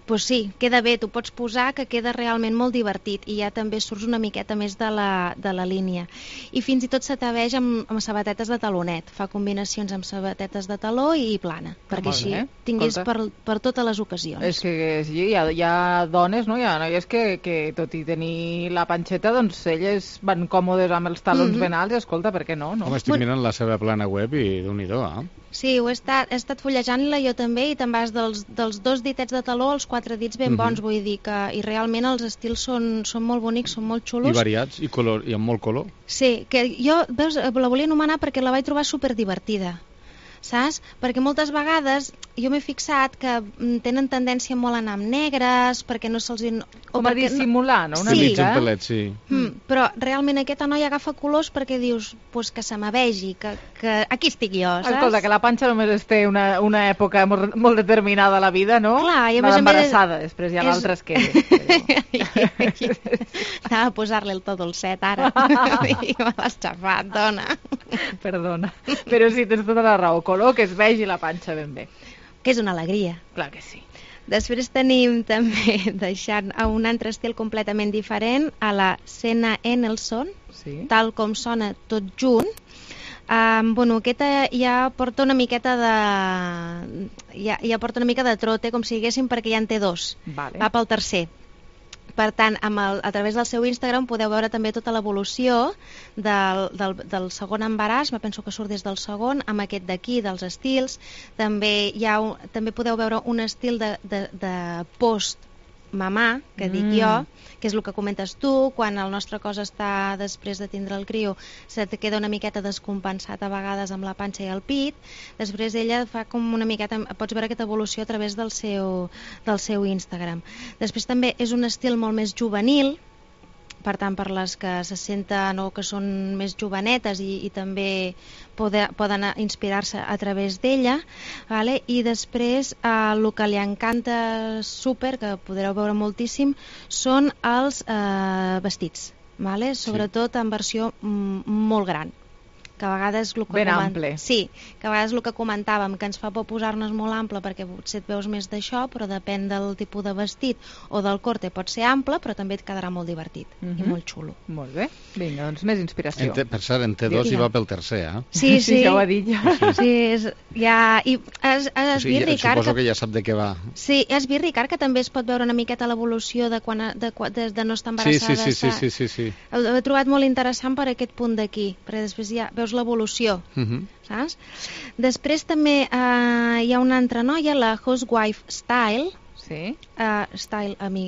Doncs sí, queda bé, t'ho pots posar, que queda realment molt divertit i ja també surts una miqueta més de la línia. I fins i tot s'atreveix amb sabatetes de talonet, fa combinacions amb sabatetes de taló i plana, perquè així tingués per totes les ocasions. És que sí, hi ha dones, no? Hi ha noies que tot i tenir la panxeta, doncs elles van còmodes amb els talons ben alts, i escolta, per què no? Home, estic mirant la seva plana web i Déu-n'hi-do, Sí, he estat fullejant-la jo també i te'n vas dels 2 ditets de taló als 4 dits ben bons, vull dir que i realment els estils són molt bonics, són molt xulos. I variats, i amb molt color. Sí, que jo, veus, la volia anomenar perquè la vaig trobar superdivertida. Saps? Perquè moltes vegades jo m'he fixat que tenen tendència molt a anar amb negres, perquè no se'ls... Com a dissimular, no? Una mica. Un pelet, sí. Però realment aquesta noia agafa colors perquè dius que se m'avegi, que aquí estic jo, saps? Escolta, que la panxa només es té una època molt determinada a la vida, no? Clar, i a més embarassada, després hi ha l'altres que... Anava a posar-li el to dolcet ara. I me l'has xafat, dona. Perdona. Però sí, tens tota la raó. Color que es vegi la panxa ben bé. Que és una alegria. Clar que sí. Després tenim també, deixant a un altre estil completament diferent, a la Senna Enelson, tal com sona tot junt. Aquesta ja porta una miqueta de trote, com si diguéssim, perquè ja en té 2. Va pel tercer. Per tant, a través del seu Instagram podeu veure també tota l'evolució del segon embaràs, me penso que surt des del segon, amb aquest d'aquí, dels estils. També podeu veure un estil de post-mamà, que dic jo, que és el que comentes tu, quan el nostre cos està després de tindre el crio, se te queda una miqueta descompensat a vegades amb la panxa i el pit. Després ella fa com una miqueta, pots veure aquesta evolució a través del seu Instagram. Després també és un estil molt més juvenil, per tant, per les que se senten o que són més jovenetes i també poden inspirar-se a través d'ella, vale? I després el que li encanta super, que podreu veure moltíssim, són els vestits, vale? Sobretot en versió molt gran, que a vegades ben ample. Sí, que a vegades el que comentàvem, que ens fa por posar-nos molt ample perquè potser et veus més d'això, però depèn del tipus de vestit o del corte, pot ser ample, però també et quedarà molt divertit i molt xulo. Molt bé, vinga, doncs més inspiració. Per cert, en T2 hi va pel tercer, Sí, ja ho ha dit ja. Sí, i has vist, Ricard... Suposo que ja sap de què va. Sí, has vist, Ricard, que també es pot veure una miqueta l'evolució de no estar embarassada. Sí. Ho he trobat molt interessant per aquest punt d'aquí, perquè després ja veus l'evolució, saps? Després també hi ha una altra noia, la Housewife Style, Style amb Y,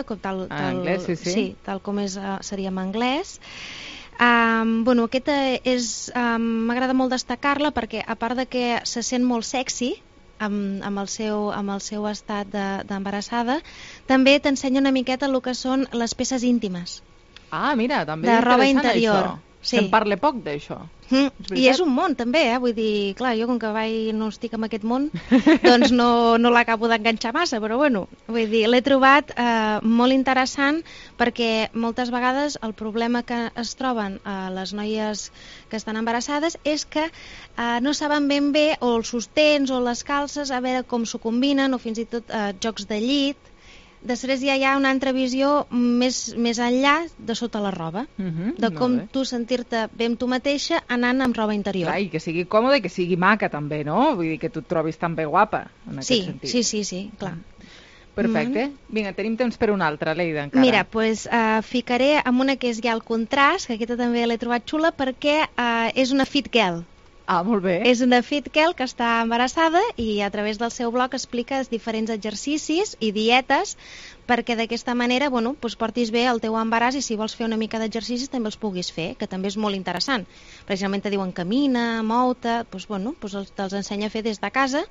com tal, anglès, sí, tal com seria en anglès. Aquesta m'agrada molt destacar-la perquè, a part de que se sent molt sexy amb el seu estat d'embarassada, també t'ensenya una miqueta el que són les peces íntimes. Mira, també de és roba interessant interior. això. Se'n parla poc d'això. I és un món també, vull dir, clar, jo com que no estic en aquest món, doncs no l'acabo d'enganxar massa, però bueno, vull dir, l'he trobat molt interessant perquè moltes vegades el problema que es troben les noies que estan embarassades és que no saben ben bé o els sostens o les calces, a veure com s'ho combinen, o fins i tot jocs de llit. Després ja hi ha una altra visió més enllà de sota la roba, de com tu sentir-te bé amb tu mateixa anant amb roba interior. Clar, i que sigui còmoda i que sigui maca també, no? Vull dir que tu et trobis també guapa en aquest sentit. Sí, clar. Perfecte. Vinga, tenim temps per una altra, Leida, encara. Mira, doncs ficaré amb una que és ja el contrast, que aquesta també l'he trobat xula, perquè és una fit girl. Molt bé. És una fit girl que està embarassada i a través del seu blog explica els diferents exercicis i dietes perquè d'aquesta manera portis bé el teu embaràs i si vols fer una mica d'exercicis també els puguis fer, que també és molt interessant. Precisament te diuen camina, mou-te, te'ls ensenya a fer des de casa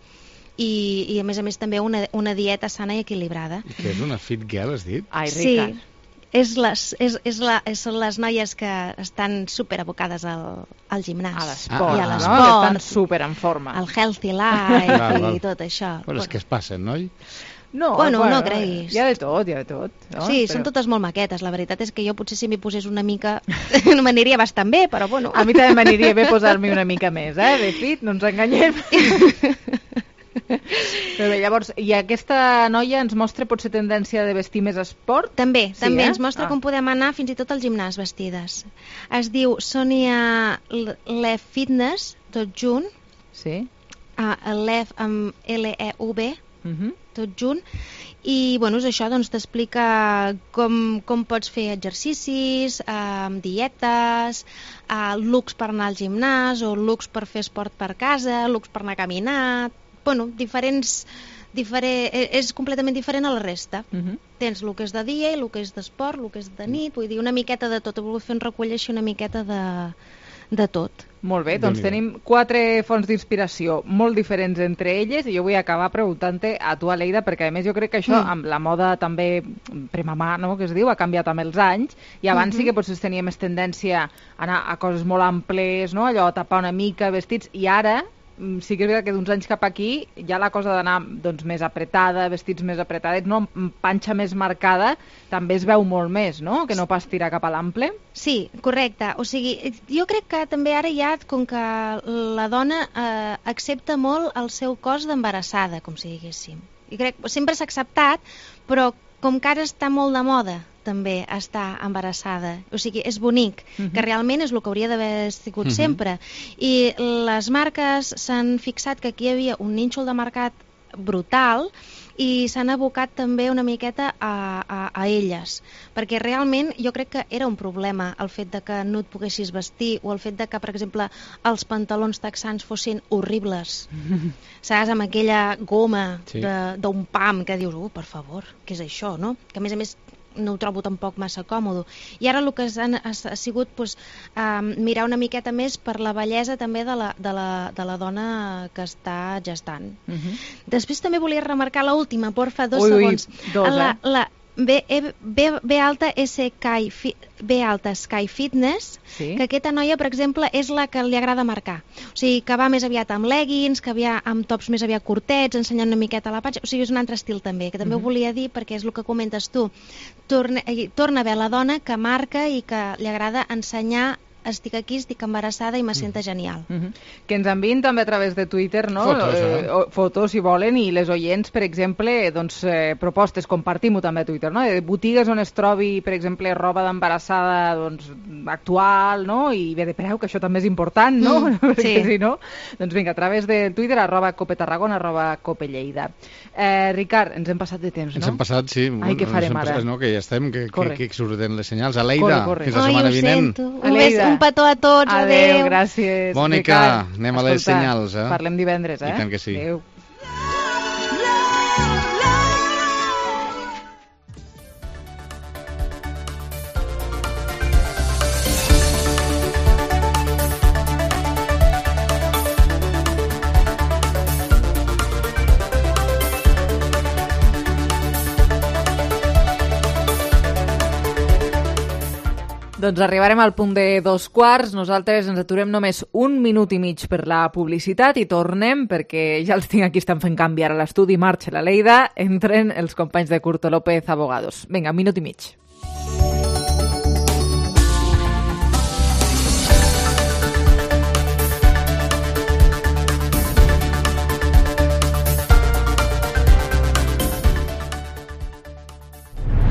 i a més també una dieta sana i equilibrada. I què és una fit girl, has dit? Ai, Ricard. Sí. Són les noies que estan superabocades al gimnàs. A l'esport, i a l'esport, que estan super en forma. Al healthy life i tot això. Però és que es passen, no? No creguis. Hi ha de tot. No? Sí, són totes molt maquetes. La veritat és que jo potser si m'hi posés una mica m'aniria bastant bé, però bueno. A mi també m'aniria bé posar-m'hi una mica més, de fit, no ens enganyem. Però bé, llavors, i aquesta noia ens mostra potser tendència de vestir més esport? També ens mostra com podem anar fins i tot al gimnàs vestides. Es diu Sonia Lev Fitness, tot junt. Sí. Lev amb L-E-V, tot junt. I és això, t'explica com pots fer exercicis, dietes, looks per anar al gimnàs o looks per fer esport per casa, looks per anar a caminar, és completament diferent a la resta. Tens el que és de dia i el que és d'esport, el que és de nit, vull dir, una miqueta de tot. He volgut fer un recull així una miqueta de tot. Molt bé, doncs tenim 4 fonts d'inspiració molt diferents entre elles i jo vull acabar preguntant-te a tu, Aleida, perquè a més jo crec que això amb la moda també premamà, no?, que es diu, ha canviat amb els anys i abans sí que potser tenia més tendència a anar a coses molt amples, no?, allò a tapar una mica vestits, i ara sí que és veritat que d'uns anys cap aquí ja la cosa d'anar més apretada, vestits més apretadets, no? Panxa més marcada, també es veu molt més, no? Que no pas tirar cap a l'ample. Sí, correcte. O sigui, jo crec que també ara ja, com que la dona accepta molt el seu cos d'embarassada, com si diguéssim. I crec que sempre s'ha acceptat, però com que ara està molt de moda també està embarassada. O sigui, és bonic, que realment és el que hauria d'haver sigut sempre. I les marques s'han fixat que aquí hi havia un nínxol de mercat brutal i s'han abocat també una miqueta a elles, perquè realment jo crec que era un problema el fet de que no et poguessis vestir o el fet de que, per exemple, els pantalons texans fossin horribles, saps, amb aquella goma d'un pam que dius, per favor, què és això, no? Que a més no ho trobo tampoc massa còmode. I ara el que ha sigut mirar una miqueta més per la bellesa també de la dona que està gestant. Després també volia remarcar l'última, porfa, 2 segons. La B alta Sky Fitness, que aquesta noia, per exemple, és la que li agrada marcar. O sigui, que va més aviat amb leggings, que va amb tops més aviat curtets, ensenyant una miqueta la panxa. O sigui, és un altre estil també, que també ho volia dir perquè és el que comentes tu. Torna a haver la dona que marca i que li agrada ensenyar estic aquí, estic embarassada i me sento genial. Que ens enviïn també a través de Twitter, no? Fotos, si volen, i les oients, per exemple, doncs, propostes, compartim-ho també a Twitter, no? De botigues on es trobi, per exemple, roba d'embarassada doncs, actual, no? I bé de preu, que això també és important, no? Perquè si no, doncs vinga, a través de Twitter, @copetarragona, @copelleida. Ricard, ens hem passat de temps, no? Ens hem passat, sí. Ai, què farem ara? No, que ja estem, que surten les senyals. Aleida, fins la setmana vinent. Un petó a tots, adeu. Adeu, gràcies. Mònica, anem a les senyals. Parlem divendres, I tant que sí. Adeu. Doncs arribarem al punt de 2:15. Nosaltres ens aturem només 1 minut i mig per la publicitat i tornem, perquè ja els tinc aquí, estan fent canviar a l'estudi. Marxa la Leida, entren els companys de Curto López, Abogados. Vinga, 1 minut i mig.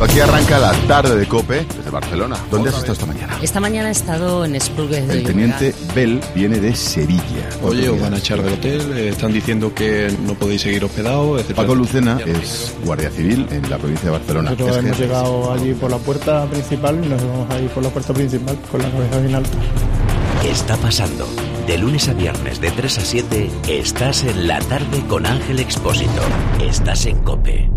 Aquí arranca la tarde de COPE desde Barcelona. ¿Dónde has estado esta mañana? Esta mañana he estado en Esplugues de El teniente Bell viene de Sevilla. Oye, os van a echar del hotel, están diciendo que no podéis seguir hospedados, etc. Paco Lucena es guardia civil en la provincia de Barcelona. Nosotros hemos llegado allí por la puerta principal y nos vamos a ir por la puerta principal con la cabeza bien alta. Está pasando. De lunes a viernes de 3 a 7 estás en la tarde con Ángel Expósito. Estás en COPE.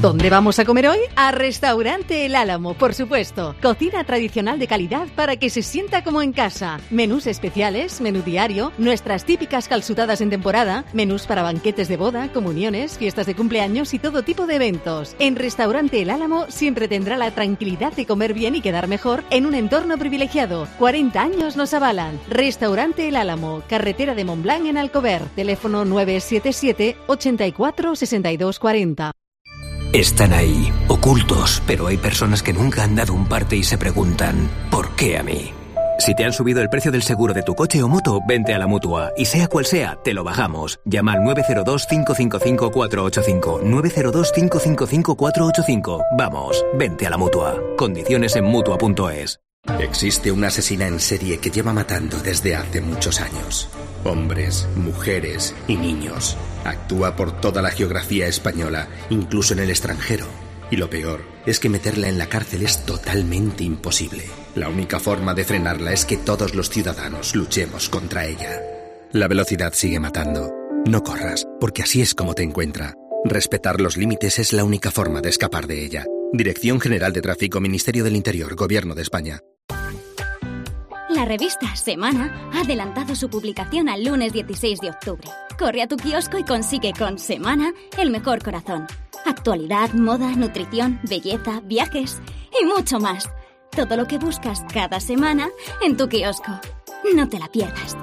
¿Dónde vamos a comer hoy? A Restaurante El Álamo, por supuesto. Cocina tradicional de calidad para que se sienta como en casa. Menús especiales, menú diario, nuestras típicas calzutadas en temporada, menús para banquetes de boda, comuniones, fiestas de cumpleaños y todo tipo de eventos. En Restaurante El Álamo siempre tendrá la tranquilidad de comer bien y quedar mejor en un entorno privilegiado. 40 años nos avalan. Restaurante El Álamo, carretera de Montblanc en Alcover. Teléfono 977 84 62 40. Están ahí, ocultos, pero hay personas que nunca han dado un parte y se preguntan, ¿por qué a mí? Si te han subido el precio del seguro de tu coche o moto, vente a la Mutua. Y sea cual sea, te lo bajamos. Llama al 902-555-485. 902-555-485. Vamos, vente a la Mutua. Condiciones en Mutua.es. Existe una asesina en serie que lleva matando desde hace muchos años. Hombres, mujeres y niños. Actúa por toda la geografía española, incluso en el extranjero. Y lo peor es que meterla en la cárcel es totalmente imposible. La única forma de frenarla es que todos los ciudadanos luchemos contra ella. La velocidad sigue matando. No corras, porque así es como te encuentra. Respetar los límites es la única forma de escapar de ella. Dirección General de Tráfico, Ministerio del Interior, Gobierno de España. La revista Semana ha adelantado su publicación al lunes 16 de octubre. Corre a tu kiosco y consigue con Semana el mejor corazón. Actualidad, moda, nutrición, belleza, viajes y mucho más. Todo lo que buscas cada semana en tu kiosco. No te la pierdas.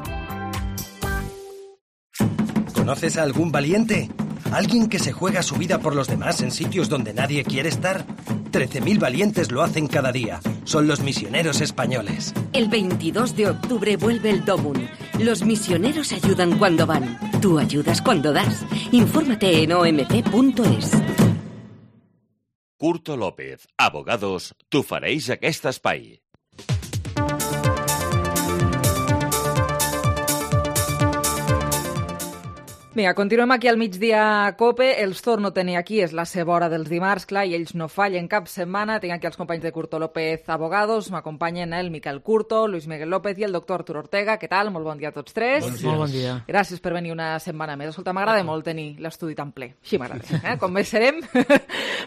¿Conoces a algún valiente? ¿Alguien que se juega su vida por los demás en sitios donde nadie quiere estar? 13.000 valientes lo hacen cada día. Son los misioneros españoles. El 22 de octubre vuelve el DOMUN. Los misioneros ayudan cuando van. Tú ayudas cuando das. Infórmate en omc.es. Curto López, Abogados, t'ho fareix aquest espai. Vinga, continuem aquí al migdia a COPE. Els torno a tenir aquí, és la seva hora dels dimarts, clar, i ells no fallen cap setmana. Tinc aquí els companys de Curto López Abogados, m'acompanyen el Miquel Curto, Luis Miguel López i el doctor Arturo Ortega. Què tal? Molt bon dia a tots tres. Molt bon dia. Gràcies per venir una setmana més. Escolta, m'agrada molt tenir l'estudi tan ple. Així m'agrada. Com més serem,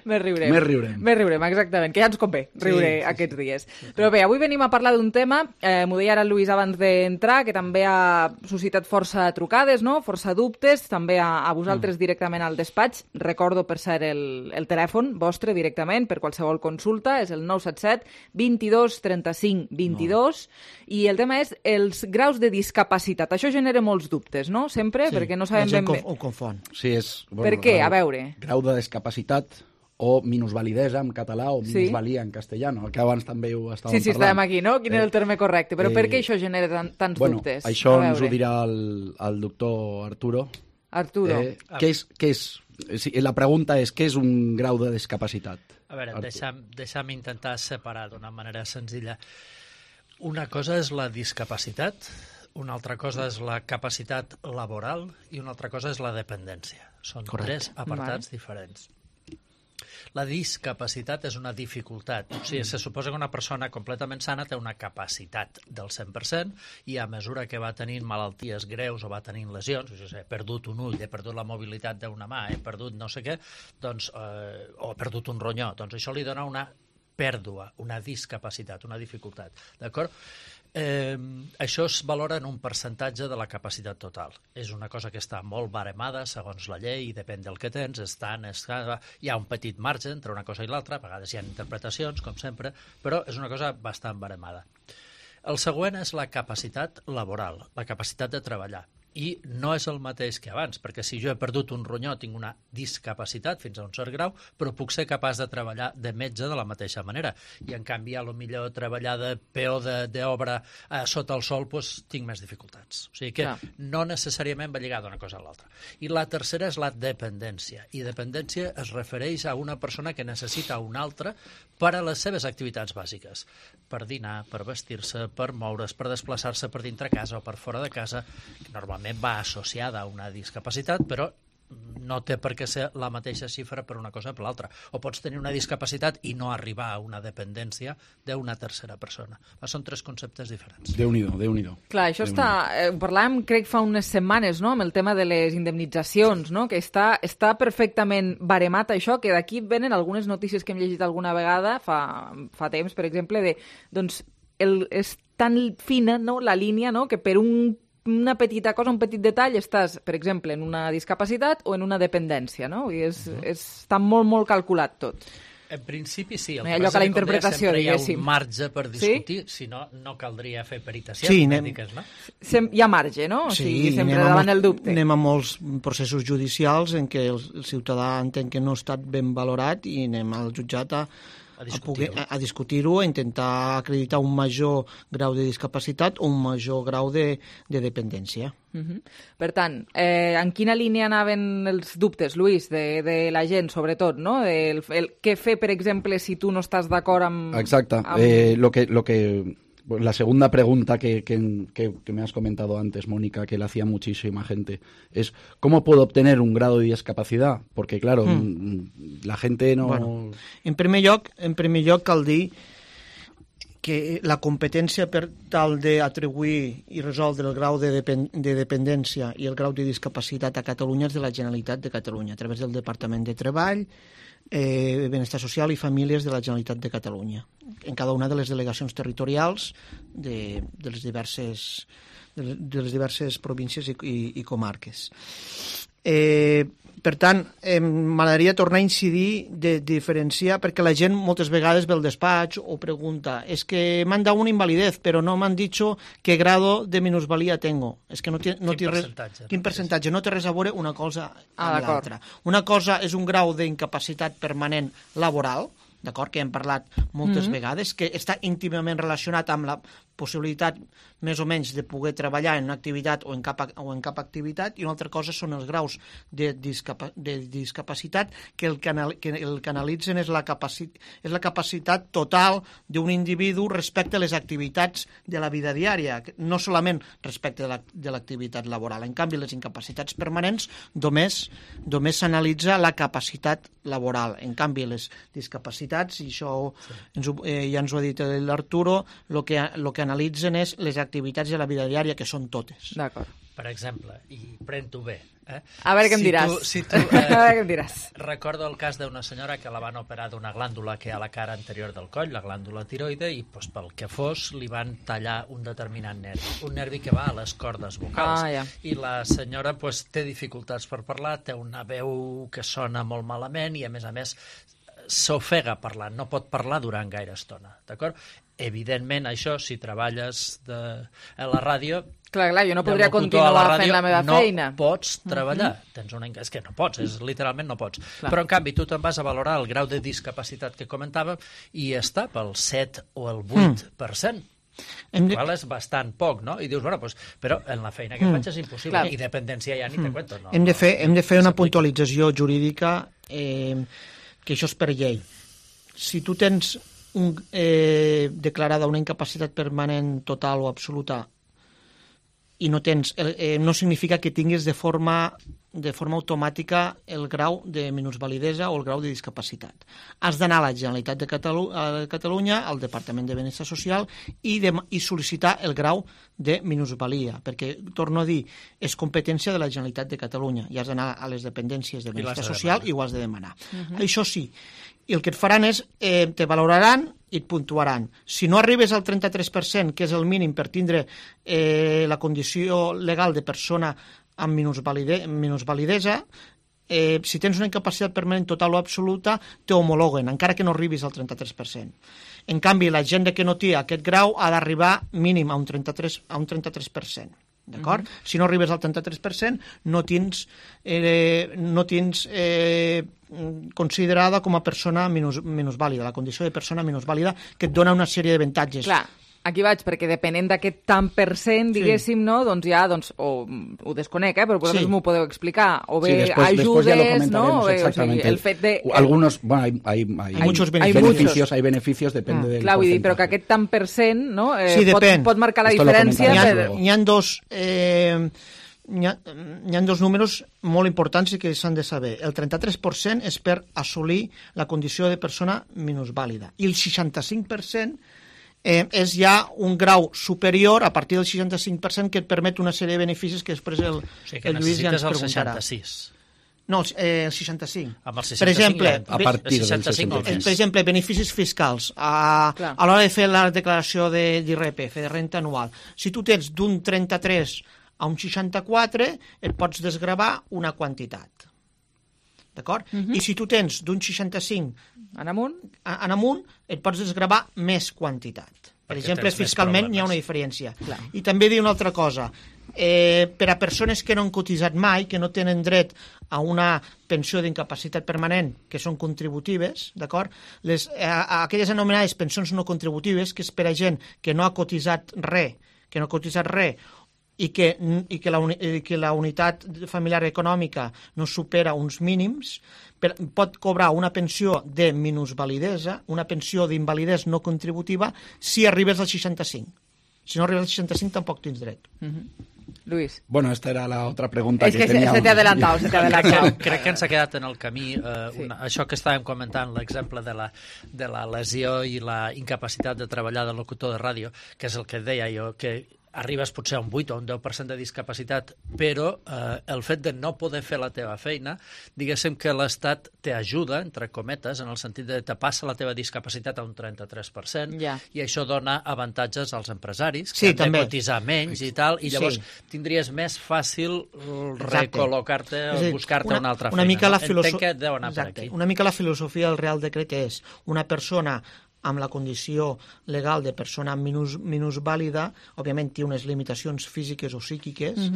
més riurem. Més riurem, exactament, que ja ens convé riure aquests dies. Però bé, avui venim a parlar d'un tema, m'ho deia ara el Luis abans d'entrar, que també ha suscitat força trucades, no? Força dubtes, també a vosaltres directament al despatx. Recordo, per cert, el telèfon vostre directament per qualsevol consulta, és el 977 22 35 22, i el tema és els graus de discapacitat. Això genera molts dubtes, no? Sempre, perquè no sabem ben bé. Ho confon. Sí, és, per què? A veure. Grau de discapacitat o minusvalidesa en català o minusvalia en castellano, que abans també ho estàvem parlant. Sí, estàvem aquí, no? Quin és el terme correcte? Però per què això genera tants dubtes? Això ens ho dirà el doctor Arturo. Arturo. La pregunta és, què és un grau de discapacitat? A veure, deixa'm intentar separar d'una manera senzilla. Una cosa és la discapacitat, una altra cosa és la capacitat laboral i una altra cosa és la dependència. Són tres apartats diferents. La discapacitat és una dificultat. O sigui, se suposa que una persona completament sana té una capacitat del 100% i a mesura que va tenint malalties greus o va tenint lesions, he perdut un ull, he perdut la mobilitat d'una mà, he perdut no sé què, doncs, o he perdut un ronyó, doncs això li dona una pèrdua, una discapacitat, una dificultat. D'acord? Això es valora en un percentatge de la capacitat total. És una cosa que està molt baremada segons la llei, depèn del que tens, hi ha un petit marge entre una cosa i l'altra, a vegades hi ha interpretacions, com sempre, però és una cosa bastant baremada. El següent és la capacitat laboral, la capacitat de treballar. I no és el mateix que abans, perquè si jo he perdut un ronyó tinc una discapacitat fins a un cert grau, però puc ser capaç de treballar de metge de la mateixa manera. I en canvi, a lo millor treballar de peó d'obra sota el sol, doncs tinc més dificultats. O sigui que no necessàriament va lligada una cosa a l'altra. I la tercera és la dependència. I dependència es refereix a una persona que necessita una altra per a les seves activitats bàsiques. Per dinar, per vestir-se, per moure's, per desplaçar-se per dintre casa o per fora de casa. Normalment va associada a una discapacitat, però no té per què ser la mateixa xifra per una cosa o per l'altra. O pots tenir una discapacitat i no arribar a una dependència d'una tercera persona. Són tres conceptes diferents. Déu-n'hi-do. Clar, això està... parlàvem, crec, fa unes setmanes, no?, amb el tema de les indemnitzacions, no?, que està perfectament baremat això, que d'aquí venen algunes notícies que hem llegit alguna vegada, fa temps, per exemple, de, doncs, és tan fina, no?, la línia, no?, que per una petita cosa, un petit detall, estàs, per exemple, en una discapacitat o en una dependència, no? I està molt, molt calculat tot. En principi sí, el allò que la interpretació, sempre hi ha un marge per discutir, si no, no caldria fer peritacions mèdiques, no? Hi ha marge, no? O sigui, sempre davant el dubte. Anem a molts processos judicials en què el ciutadà entén que no ha estat ben valorat i anem al jutjat a discutir-ho, a intentar acreditar un major grau de discapacitat o un major grau de dependència. Per tant, en quina línia anaven els dubtes, Lluís, de la gent, sobretot, no? Què fer, per exemple, si tu no estàs d'acord amb... Exacte. La segunda pregunta que me has comentado antes, Mónica, que le hacía muchísima gente, es ¿cómo puedo obtener un grado de discapacidad? Porque, claro, la gente no... Bueno, en primer lloc cal dir que la competència per tal d'atribuir i resoldre el grau de dependència i el grau de discapacitat a Catalunya és de la Generalitat de Catalunya, a través del Departament de Treball, Benestar Social i Famílies de la Generalitat de Catalunya, en cada una de les delegacions territorials de les diverses províncies i comarques. Per tant, m'agradaria tornar a incidir de diferenciar, perquè la gent moltes vegades ve al despatx o pregunta, és que m'han dado una invalidez, però no m'han dicho qué grado de minusvalía tengo. És que quin percentatge? No té res a veure una cosa amb l'altra. Una cosa és un grau d'incapacitat permanent laboral, d'acord, que hem parlat moltes vegades, que està íntimament relacionat amb la possibilitat més o menys de poder treballar en una activitat o en cap activitat, i una altra cosa són els graus de discapacitat que el que analitzen és la capacitat total d'un individu respecte a les activitats de la vida diària, no solament respecte de l'activitat laboral. En canvi, les incapacitats permanents només s'analitza la capacitat laboral. En canvi, les discapacitats, i això ja ens ho ha dit l'Arturo, el que analitzen és les activitats de la vida diària, que són totes. D'acord. Per exemple, i pren-t'ho bé. A veure què em diràs. A veure què em diràs. Recordo el cas d'una senyora que la van operar d'una glàndula que hi ha a la cara anterior del coll, la glàndula tiroide, i pel que fos li van tallar un determinat nervi, un nervi que va a les cordes vocals. I la senyora té dificultats per parlar, té una veu que sona molt malament i, a més, s'ofega parlant, no pot parlar durant gaire estona, d'acord? Evidentment, això, si treballes a la ràdio... Clar, jo no podria continuar fent la meva feina. No pots treballar. És que no pots, literalment no pots. Però, en canvi, tu te'n vas a valorar el grau de discapacitat que comentàvem i està pel 7 o el 8%. Qual és bastant poc, no? I dius, bueno, però en la feina que faig és impossible. I dependència ja ni te cuento. Hem de fer una puntualització jurídica, que això és per llei. Si tu tens declarada una incapacitat permanent total o absoluta i no tens, no significa que tinguis de forma automàtica el grau de minusvalidesa o el grau de discapacitat. Has d'anar a la Generalitat de Catalunya, al Departament de Benestar Social, i sol·licitar el grau de minusvalia, perquè, torno a dir, és competència de la Generalitat de Catalunya i has d'anar a les dependències de Benestar Social i ho has de demanar. Això sí, i el que et faran és, te valoraran i et puntuaran. Si no arribes al 33%, que és el mínim per tindre la condició legal de persona amb minusvalidesa, si tens una incapacitat permanent total o absoluta, te homologuen, encara que no arribis al 33%. En canvi, la gent que no té aquest grau ha d'arribar mínim a un 33%. D'acord? Si no arribes al 33%, no tens considerada com a persona minusvàlida, la condició de persona minusvàlida, que et dona una sèrie d'avantatges. Clar, aquí vaig, perquè depenent d'aquest tant per cent, diguéssim, no? Doncs ja, o ho desconec, però vosaltres m'ho podeu explicar, o bé ajudes, no? Exactamente. El fet de... Algunos, bueno, hay muchos beneficios, hay beneficios, depende del clar, vull dir, però que aquest tant per cent, no? Sí, pot marcar la diferència. N'hi ha dos números molt importants i que s'han de saber. El 33% és per assolir la condició de persona minusvàlida i el 65% és ja un grau superior a partir del 65% que et permet una sèrie de beneficis que després el Lluís ja ens preguntarà. El 66. No, el 65. Amb el 65 per exemple, a partir del 65%. Per exemple, beneficis fiscals a l'hora de fer la declaració d'IRPF, de renta anual. Si tu tens d'un 33 a un 64, et pots desgravar una quantitat. D'acord? I si tu tens d'un 65 en amunt, et pots desgravar més quantitat. Per exemple, fiscalment hi ha una diferència. I també dir una altra cosa. Per a persones que no han cotitzat mai, que no tenen dret a una pensió d'incapacitat permanent, que són contributives, d'acord? Aquelles anomenades pensions no contributives, que és per a gent que no ha cotitzat res, i que la unitat familiar econòmica no supera uns mínims, pot cobrar una pensió de minusvalidesa, una pensió d'invalidesa no contributiva, si arribes al 65. Si no arribes al 65 tampoc tens dret. Luis. Bueno, esta era la otra pregunta que tenía. Se te ha adelantado, Crec que ens ha quedat en el camí això que estàvem comentant, l'exemple de la lesió i la incapacitat de treballar de locutor de ràdio, que és el que deia jo, que arribes potser a un 8 o un 10% de discapacitat, però el fet de no poder fer la teva feina, diguéssim que l'Estat t'ajuda, entre cometes, en el sentit de te passa la teva discapacitat a un 33%, i això dona avantatges als empresaris, que han de cotitzar menys i tal, i llavors tindries més fàcil recol·locar-te o buscar-te una altra feina. Entenc que deu anar per aquí. Una mica la filosofia del Real Decret és una persona amb la condició legal de persona minusvàlida, òbviament té unes limitacions físiques o psíquiques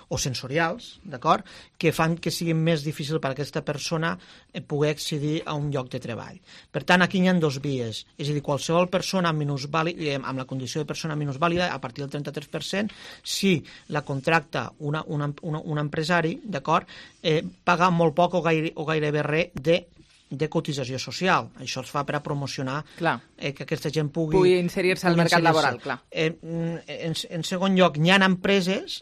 o sensorials, d'acord?, que fan que sigui més difícil per a aquesta persona poder accedir a un lloc de treball. Per tant, aquí hi ha dues vies, és a dir, qualsevol persona amb la condició de persona minusvàlida, a partir del 33%, si la contracta un empresari, d'acord, paga molt poc o gairebé res de cotització social. Això es fa per a promocionar que aquesta gent pugui inserir-se al mercat laboral, clar. En segon lloc, hi ha empreses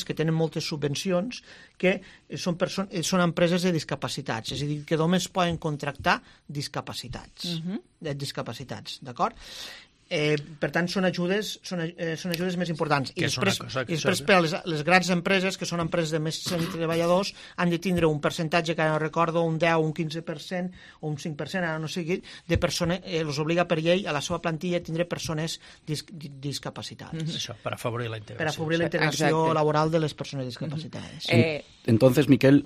que tenen moltes subvencions que són empreses de discapacitats, és a dir, que només poden contractar discapacitats, d'acord? Per tant, són ajudes més importants. I després per a les grans empreses, que són empreses de més de 100 treballadors, han de tindre un percentatge, que ara no recordo, un 10, un 15% o un 5%, ara no sé, de persones, els obliga per llei a la seva plantilla a tindre persones discapacitades. Això, per afavorir la integració. Per afavorir la integració laboral de les persones discapacitades. Entonces, Miquel,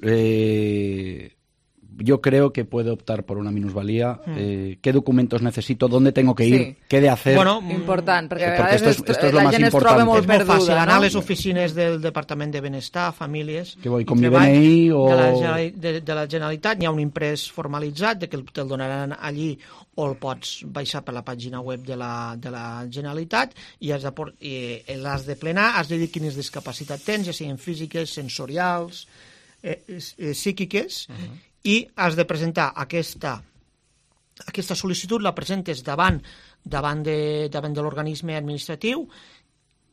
yo creo que puedo optar por una minusvalía. ¿Qué documentos necesito? ¿Dónde tengo que ir? ¿Qué he de hacer? Bueno, important, perquè esto es lo más importante. És molt fàcil anar a les oficines del Departament de Benestar, Famílies... Que voy con mi DNI o... De la Generalitat, hi ha un imprès formalitzat que te'l donaran allí o el pots baixar per la pàgina web de la Generalitat i l'has de plenar, has de dir quines discapacitats tens, ja siguin físiques, sensorials, psíquiques, i has de presentar aquesta sol·licitud, la presentes davant de l'organisme administratiu,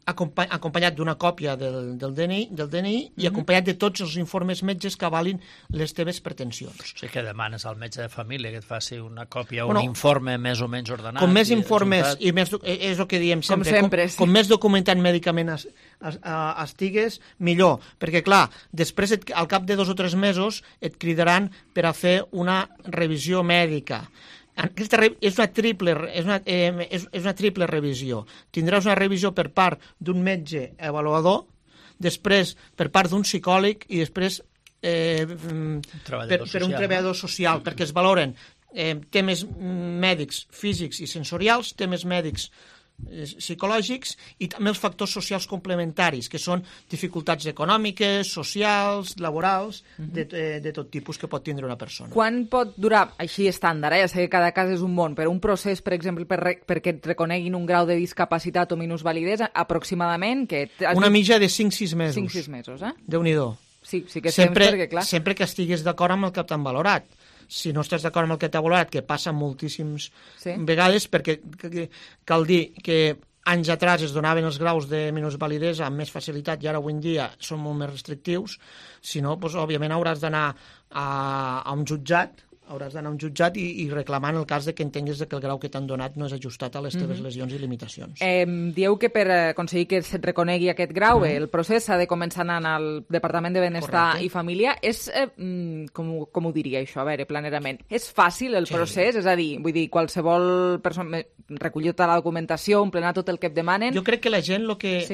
acompanyat d'una còpia del DNI i acompanyat de tots els informes metges que avalin les teves pretensions. O sigui que demanes al metge de família que et faci una còpia o un informe més o menys ordenat. Com més informes, i més, és el que diem sempre, com més documentat mèdicament estigues, millor. Perquè, clar, després, al cap de 2 o 3 mesos, et cridaran per a fer una revisió mèdica. Aquesta és una triple revisió. Tindràs una revisió per part d'un metge avaluador, després per part d'un psicòleg i després per un treballador social, perquè es valoren temes mèdics, físics i sensorials, temes mèdics psicològics i també els factors socials complementaris, que són dificultats econòmiques, socials, laborals, de tot tipus que pot tindre una persona. Quan pot durar, així estàndard, ja sé que cada cas és un món, però un procés, per exemple, perquè et reconeguin un grau de discapacitat o minusvalidesa, aproximadament... Una mitja de 5-6 mesos. 5-6 mesos, eh? Déu-n'hi-do. Sí que temps, perquè clar... Sempre que estiguis d'acord amb el que t'han valorat. Si no estàs d'acord amb el que t'ha valorat, que passa moltíssimes vegades, perquè cal dir que anys atrás es donaven els graus de minusvalidesa amb més facilitat i ara avui en dia són molt més restrictius, si no, doncs, òbviament hauràs d'anar a un jutjat, i reclamant el cas de que entenguis que el grau que t'han donat no és ajustat a les teves lesions i limitacions. Dieu que per aconseguir que se't reconegui aquest grau, el procés s'ha de començar anant al Departament de Benestar i Família. És, com ho diria això, a veure, planerament, és fàcil el procés? És a dir, vull dir, qualsevol persona recollir tota la documentació, emplenar tot el que et demanen? Jo crec que la gent el que...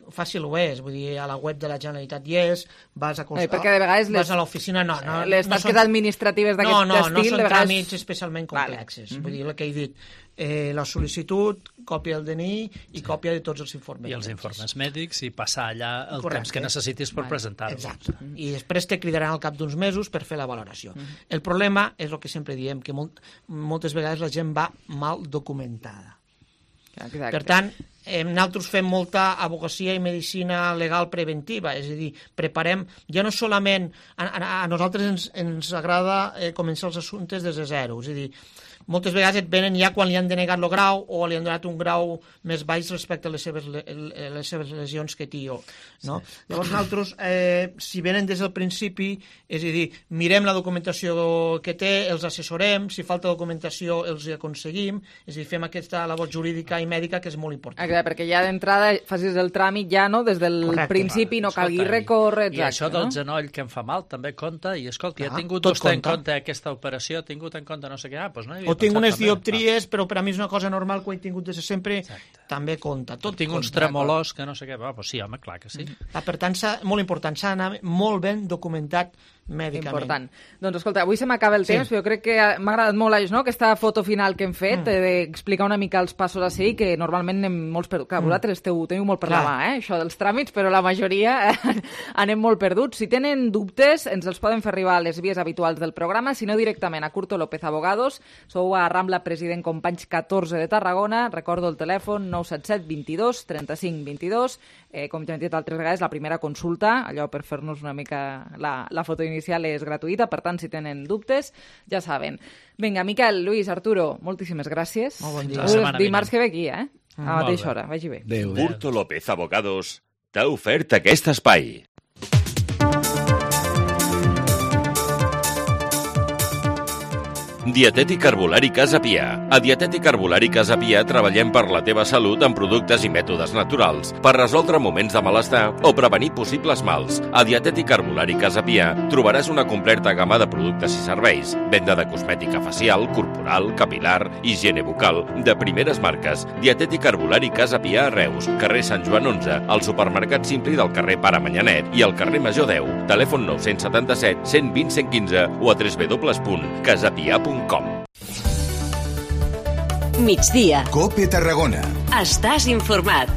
Fàcil ho és, vull dir, a la web de la Generalitat hi és, vas a l'oficina, les tasques administratives d'aquest estil... No són tràmits especialment complexes. Vull dir, el que he dit, la sol·licitud, còpia del DNI i còpia de tots els informes. I els informes mèdics i passar allà el temps que necessitis per presentar-los. Exacte. I després te cridaran al cap d'uns mesos per fer la valoració. El problema és el que sempre diem, que moltes vegades la gent va mal documentada. Exacte. Per tant, nosaltres fem molta advocacia i medicina legal preventiva, és a dir, preparem, ja no solament, a nosaltres ens agrada començar els assumptes des de zero, és a dir, moltes vegades et venen ja quan li han denegat el grau o li han donat un grau més baix respecte a les seves lesions que tio. No? Sí. Llavors nosaltres, si venen des del principi, és a dir, mirem la documentació que té, els assessorem, si falta documentació els aconseguim, és a dir, fem aquesta labor jurídica i mèdica que és molt important. Exacte, perquè ja d'entrada facis el tràmit ja, no?, des del principi, no calgui recórrer, exacte. I això del genoll que em fa mal també compta, i escolta, ja he tingut vostè en compte aquesta operació, he tingut en compte no sé què, doncs no hi havia tinc unes dioptries, però per a mi és una cosa normal que ho he tingut des de sempre, també compta. Tinc uns tremolors que no sé què, doncs sí, home, clar que sí. Per tant, molt important, s'ha d'anar molt ben documentat mèdicament. Important. Doncs escolta, avui se m'acaba el temps, però jo crec que m'ha agradat molt aquesta foto final que hem fet, d'explicar una mica els passos a seguir, que normalment anem molts perduts. Clar, vosaltres teniu molt per la mà, això dels tràmits, però la majoria anem molt perduts. Si tenen dubtes, ens els poden fer arribar a les vies habituals del programa, si no directament a Curto López Abogados. Sou a Rambla President Companys 14 de Tarragona. Recordo el telèfon 977 22 35 22. Com ja hem dit altres vegades, la primera consulta, allò per fer-nos una mica la foto inicial és gratuïta, per tant, si tenen dubtes, ja saben. Vinga, Miquel, Lluís, Arturo, moltíssimes gràcies. Molt bon dia. Dimarts que ve aquí, a la mateixa hora. Vagi bé. Curto López Abogados t'ha ofert aquest espai. Dietètic Herbolari Casa Pia. A Dietètic Herbolari Casa Pia treballem per la teva salut amb productes i mètodes naturals, per resoldre moments de malestar o prevenir possibles mals. A Dietètic Herbolari Casa Pia trobaràs una completa gamma de productes i serveis, venda de cosmètica facial, corporal, capilar, higiene bucal, de primeres marques. Dietètic Herbolari Casa Pia a Reus, carrer Sant Joan 11, al supermercat Simpli del carrer Pare Manyanet i al carrer Major 10. Telèfon 977 120 115 o a www.casapia.com. Migdia. COPE Tarragona. Estàs informat.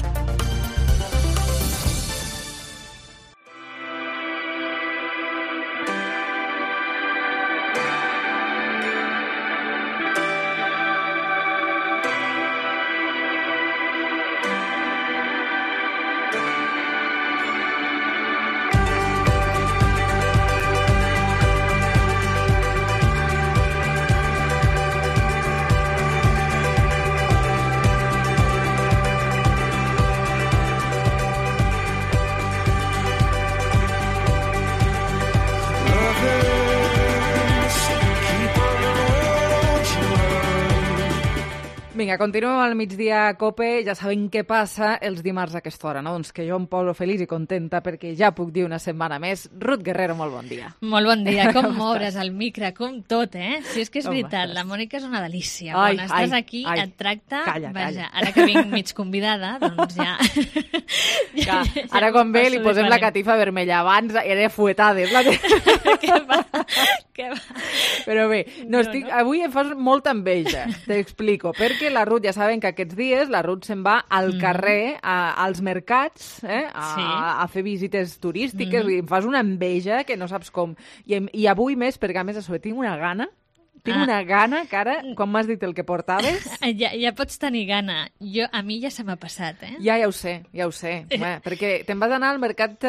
Vinga, continuem al migdia a COPE. Ja sabem què passa els dimarts a aquesta hora, no? Doncs que jo em poso feliç i contenta perquè ja puc dir una setmana més. Ruth Guerrero, molt bon dia. Molt bon dia. Com moure's el micro, com tot, eh? Si és que és veritat, la Mònica és una delícia. Quan estàs aquí et tracta... Calla. Ara que vinc mig convidada, doncs ja... Ara quan ve li posem la catifa vermella. Abans era fuetades. Què va? Però bé, avui em fas molta enveja, t'explico, perquè la Ruth, ja saben que aquests dies la Ruth se'n va al carrer, als mercats, a fer visites turístiques, i em fas una enveja que no saps com. I avui més, perquè a més a sobre tinc una gana que ara, quan m'has dit el que portaves... Ja pots tenir gana. A mi ja se m'ha passat, eh? Ja ho sé. Perquè te'n vas anar al mercat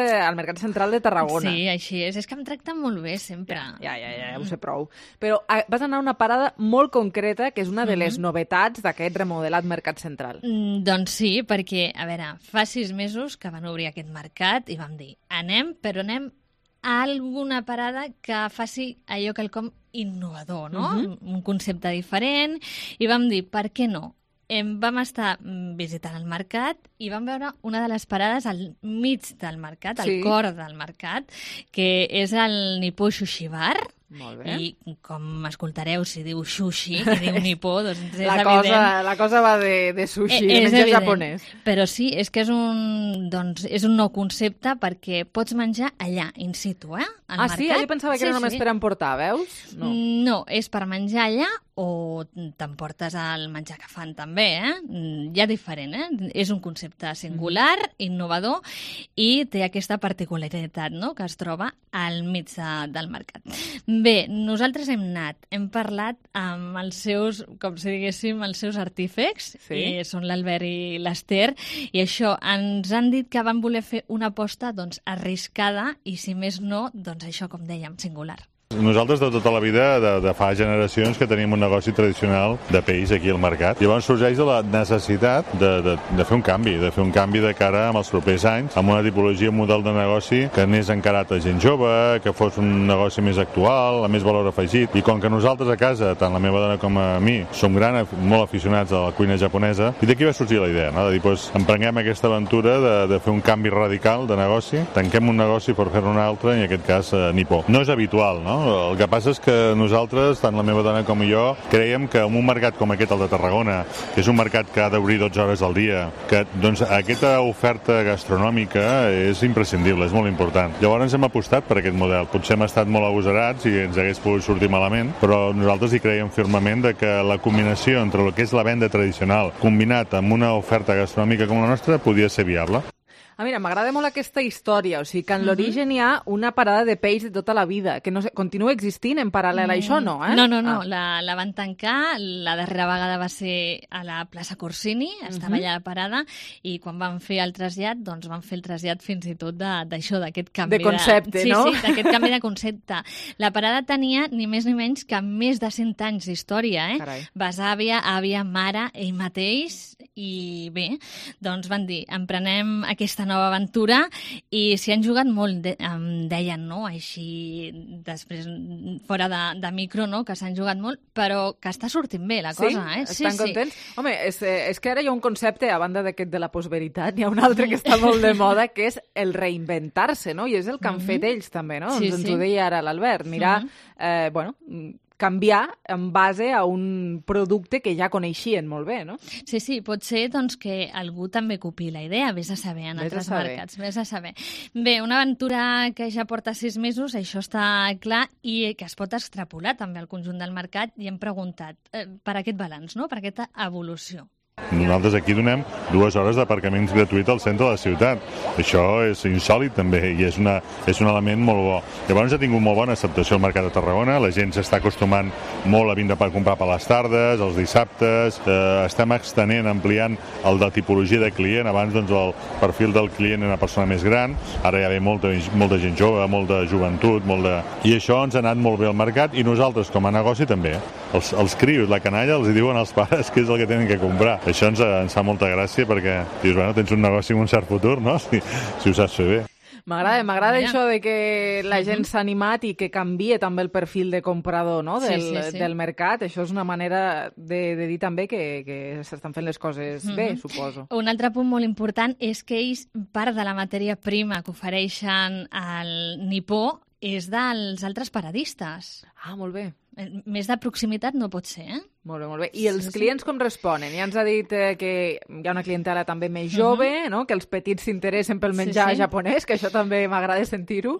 central de Tarragona. Sí, així és. És que em tracten molt bé, sempre. Ja ho sé prou. Però vas anar a una parada molt concreta, que és una de les novetats d'aquest remodelat mercat central. Doncs sí, perquè, a veure, fa 6 mesos que van obrir aquest mercat i vam dir, anem a alguna parada que faci allò quelcom innovador, no? Un concepte diferent, i vam dir, per què no? Vam estar visitant el mercat i vam veure una de les parades al mig del mercat, al cor del mercat, que és el Nippó Sushi Bar. Molt bé. I com escoltareu, si diu sushi, que diu nipó, doncs és evident. La cosa va de sushi, de menjar japonès. Però sí, és que és un nou concepte perquè pots menjar allà, in situ, al mercat. Sí? Jo pensava que era només per emportar, veus? No, és per menjar allà o t'emportes el menjar que fan també, Ja diferent, És un concepte singular, innovador, i té aquesta particularitat, no?, que es troba al mig del mercat. Bé, nosaltres hem parlat amb els seus, com si diguéssim, els seus artífecs, que són l'Albert i l'Ester, i això, ens han dit que van voler fer una aposta, doncs, arriscada, i si més no, doncs això, com dèiem, singular. Nosaltres de tota la vida, de fa generacions, que tenim un negoci tradicional de peix aquí al mercat. Llavors sorgeix de la necessitat de fer un canvi de cara als propers anys, amb una tipologia, un model de negoci que anés encarat a gent jove, que fos un negoci més actual, amb més valor afegit. I com que nosaltres a casa, tant la meva dona com a mi, som molt aficionats a la cuina japonesa, i d'aquí va sorgir la idea, no?, de dir, emprenguem aquesta aventura de fer un canvi radical de negoci, tanquem un negoci per fer-ne un altre, i en aquest cas Nippó. No és habitual, no? El que passa és que nosaltres, tant la meva dona com jo, creiem que en un mercat com aquest, el de Tarragona, que és un mercat que ha d'obrir 12 hores al dia, que doncs aquesta oferta gastronòmica és imprescindible, és molt important. Llavors hem apostat per aquest model. Potser hem estat molt agosarats i ens hagués pogut sortir malament, però nosaltres hi creiem firmament que la combinació entre el que és la venda tradicional combinat amb una oferta gastronòmica com la nostra podia ser viable. Mira, m'agrada molt aquesta història, o sigui que en l'origen hi ha una parada de peix de tota la vida, que no sé, continua existint en paral·lel a això, no? No, la van tancar, la darrera vegada va ser a la plaça Corsini, estava allà la parada, i quan van fer el trasllat, doncs van fer el trasllat fins i tot d'això, d'aquest canvi de concepte, no? Sí, d'aquest canvi de concepte. La parada tenia ni més ni menys que més de 100 anys d'història, besàvia, àvia, mare, ell mateix, i bé, doncs van dir, emprenem aquesta nova aventura, i s'hi han jugat molt, em deien, no?, així després, fora de micro, no?, que s'han jugat molt, però que està sortint bé la cosa, Sí? Estan contents? Home, és que ara hi ha un concepte, a banda d'aquest de la postveritat, hi ha un altre que està molt de moda, que és el reinventar-se, no?, i és el que han fet ells també, no? Ens ho deia ara l'Albert, mirar, canviar en base a un producte que ja coneixien molt bé, no? Sí, pot ser doncs, que algú també copi la idea, vés a saber, en altres mercats, vés a saber. Bé, una aventura que ja porta 6 mesos, això està clar, i que es pot extrapolar també al conjunt del mercat, i hem preguntat per aquest balanç, no?, per aquesta evolució. Nosaltres aquí donem 2 hores d'aparcament gratuït al centre de la ciutat. Això és insòlit també, i és un element molt bo. Llavors ha tingut molt bona acceptació al mercat de Tarragona, la gent s'està acostumant molt a vindre per comprar per les tardes, els dissabtes, estem extenent, ampliant el de tipologia de client. Abans doncs, el perfil del client era una persona més gran, ara ja ve molta gent jove, molta joventut, i això ens ha anat molt bé al mercat, i nosaltres com a negoci també. Els crios, la canalla, els diuen als pares què és el que tenen que comprar. Això ens fa molta gràcia perquè dius, bueno, tens un negoci amb un cert futur, no?, si ho saps fer bé. M'agrada això de que la gent s'ha animat i que canvie també el perfil de comprador, no? del mercat. Això és una manera de dir també que s'estan fent les coses bé, suposo. Un altre punt molt important és que ells, part de la matèria prima que ofereixen al Nipó és dels altres paradistes. Ah, molt bé. Més de proximitat no pot ser, eh? Molt bé, molt bé. I els clients com responen? Ja ens ha dit que hi ha una clientela també més jove, no? Que els petits s'interessen pel menjar japonès, que això també m'agrada sentir-ho.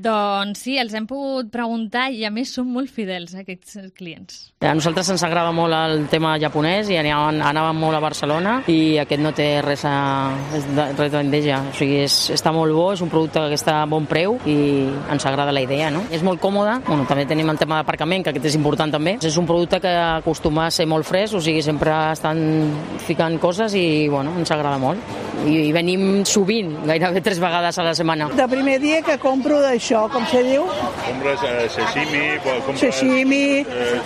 Doncs sí, els hem pogut preguntar i a més són molt fidels, aquests clients. A nosaltres ens agrada molt el tema japonès i anàvem molt a Barcelona i aquest no té res d'endeja. O sigui, està molt bo, és un producte que està a bon preu i ens agrada la idea, no? És molt còmode. Bueno, també tenim el tema d'aparcament, que aquest és important també. És un producte que acostuma a ser molt fresc, o sigui, sempre estan ficant coses i, bueno, ens agrada molt. I venim sovint, gairebé 3 vegades a la setmana. De primer dia que compro d'això, com se diu? Compres sashimi,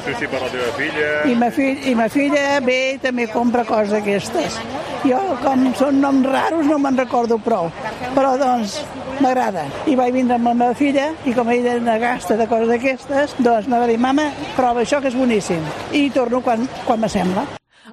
sushi per la teva filla... I ma filla ve i també compra coses d'aquestes. Jo, com són noms raros, no me'n recordo prou, però doncs m'agrada. I vaig vindre amb la meva filla i com ella no gasta de coses d'aquestes, doncs me va dir, mama, prova això que és boníssim. I torno quan m'assembla.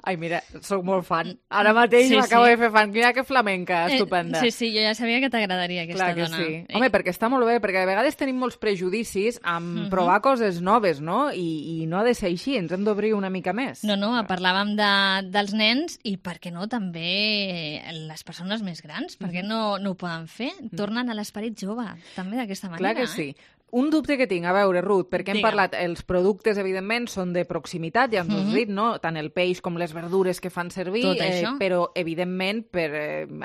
Ai, mira, soc molt fan. Ara mateix m'acabo de fer fan. Mira que flamenca, estupenda. Sí, jo ja sabia que t'agradaria aquesta dona. Sí. Home, perquè està molt bé, perquè a vegades tenim molts prejudicis amb provar coses noves, no? I no ha de ser així, ens hem d'obrir una mica més. No, parlàvem dels nens i, per què no, també les persones més grans. Per què no ho poden fer? Tornen a l'esperit jove, també d'aquesta manera. Clar que sí. Un dubte que tinc, a veure, Ruth, perquè hem parlat, els productes, evidentment, són de proximitat, ja ens ho has dit, no? Tant el peix com les verdures que fan servir, però, evidentment,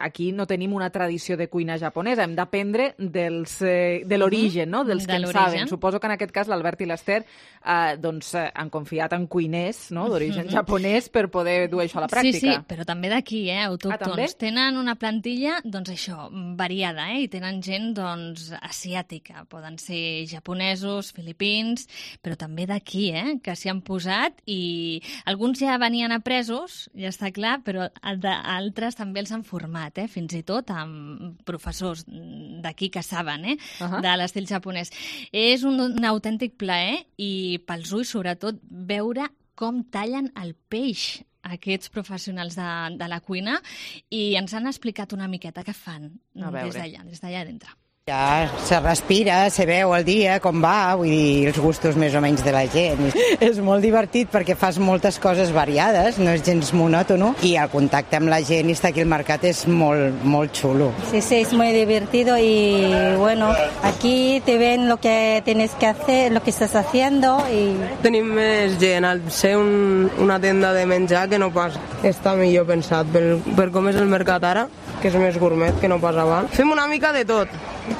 aquí no tenim una tradició de cuina japonesa, hem d'aprendre de l'origen, no? Dels que en saben. Suposo que en aquest cas l'Albert i l'Ester han confiat en cuiners d'origen japonès per poder dur això a la pràctica. Sí, però també d'aquí, autòctons. Tenen una plantilla, doncs això, variada, i tenen gent, doncs, asiàtica, poden ser japonesos, filipins, però també d'aquí, que s'hi han posat i alguns ja venien apresos, ja està clar, però altres també els han format, fins i tot amb professors d'aquí que saben, de l'estil japonès. És un autèntic plaer i pels ulls, sobretot, veure com tallen el peix aquests professionals de la cuina i ens han explicat una miqueta què fan des d'allà dintre. Ja se respira, se veu el dia, com va, vull dir, els gustos més o menys de la gent. És molt divertit perquè fas moltes coses variades, no és gens monòtono, i el contacte amb la gent i estar aquí al mercat és molt, molt xulo. Sí, es muy divertido y bueno, aquí te ven lo que tienes que hacer, lo que estás haciendo y... Tenim més gent al ser una tenda de menjar que no pas està millor pensat per com és el mercat ara, que és més gourmet que no pas abans. Fem una mica de tot,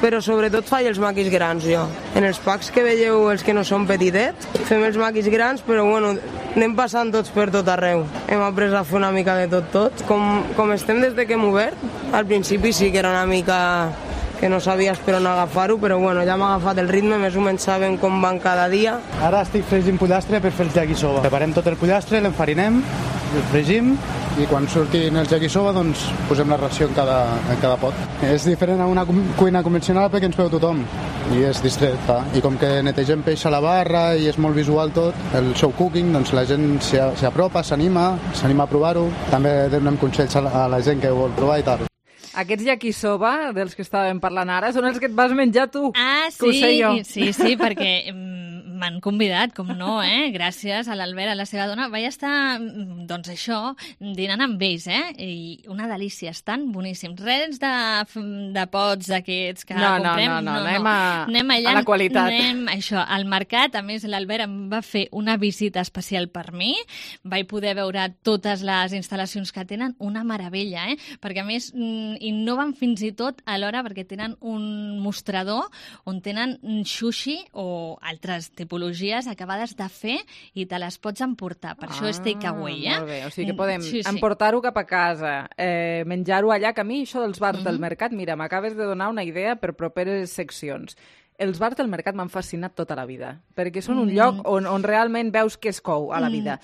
però sobretot faig els maquis grans jo. En els packs que veieu, els que no són petitets, fem els maquis grans, però bueno, anem passant tots per tot arreu. Hem après a fer una mica de tot. Com estem des de que hem obert, al principi sí que era una mica que no sabies per on agafar-ho, però bueno, ja hem agafat el ritme, més o menys sabem com van cada dia. Ara estic fregint pollastre per fer el yakisoba. Preparem tot el pollastre, l'enfarinem, el fregim i quan surtin els yakisoba doncs posem la ració en cada pot. És diferent a una cuina convencional perquè ens veu tothom i és distret, clar. I com que netegem peix a la barra i és molt visual tot, el show cooking, doncs la gent s'hi apropa, s'anima a provar-ho. També donem consells a la gent que ho vol provar i tal. Aquests yakisoba dels que estàvem parlant ara són els que et vas menjar tu. Ah, sí, que ho sé jo. Sí, perquè m'han convidat, com no, gràcies a l'Albert, a la seva dona. Vaig estar, doncs això, dinant amb ells, i una delícia, estan boníssims. Res de pots d'aquests que comprem. No, anem allà, a la qualitat. Anem, això, al mercat. A més, l'Albert em va fer una visita especial per mi. Vaig poder veure totes les instal·lacions que tenen, una meravella, perquè a més innoven fins i tot a l'hora perquè tenen un mostrador on tenen sushi o altres tipologies acabades de fer i te les pots emportar. Per això és takeaway, Molt bé, o sigui que podem emportar-ho cap a casa, menjar-ho allà, que a mi això dels bars del mercat, mira, m'acabes de donar una idea per properes seccions. Els bars del mercat m'han fascinat tota la vida, perquè són un lloc on realment veus què es cou a la vida.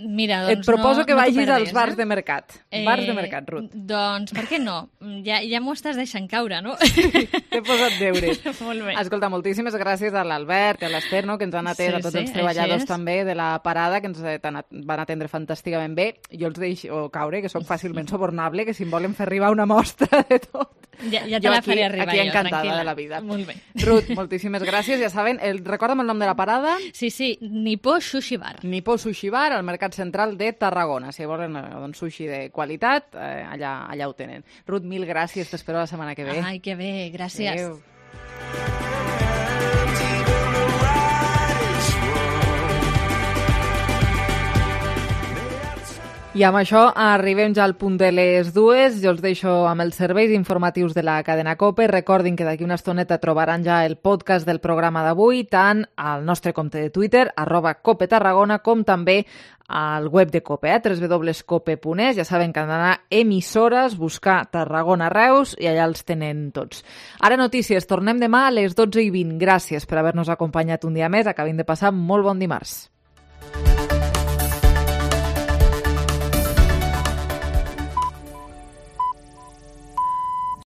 Mira, doncs et proposo que vagis perdis, als bars de mercat. Bars de mercat, Ruth. Doncs per què no? Ja m'ho estàs deixant caure, no? T'he posat deures. Molt bé. Escolta, moltíssimes gràcies a l'Albert i a l'Ester, no?, que ens han atès, a tots els treballadors també de la parada, que ens van atendre fantàsticament bé. Jo els deixo caure, que sóc fàcilment subornable, que si em volen fer arribar una mostra de tot. Ja te la faré arribar aquí jo, encantada tranquil·la. de la vida. Molt bé. Ruth, moltíssimes gràcies. Ja saben, recorda'm el nom de la parada. Sí, Nippó Sushi Bar. Nippó Sushi Bar, al Mercat Central de Tarragona. Si volen sushi de qualitat, allà ho tenen. Ruth, mil gràcies. T'espero la setmana que ve. Ai, que bé. Gràcies. Adéu. I amb això arribem ja al punt de les 2. Jo els deixo amb els serveis informatius de la cadena COPE. Recordin que d'aquí una estoneta trobaran ja el podcast del programa d'avui, tant al nostre compte de Twitter, @COPETarragona, com també al web de COPE, www.cope.es. Ja saben que han d'anar emissores, buscar Tarragona Reus i allà els tenen tots. Ara notícies. Tornem demà a les 12:20. Gràcies per haver-nos acompanyat un dia més. Acabin de passar molt bon dimarts.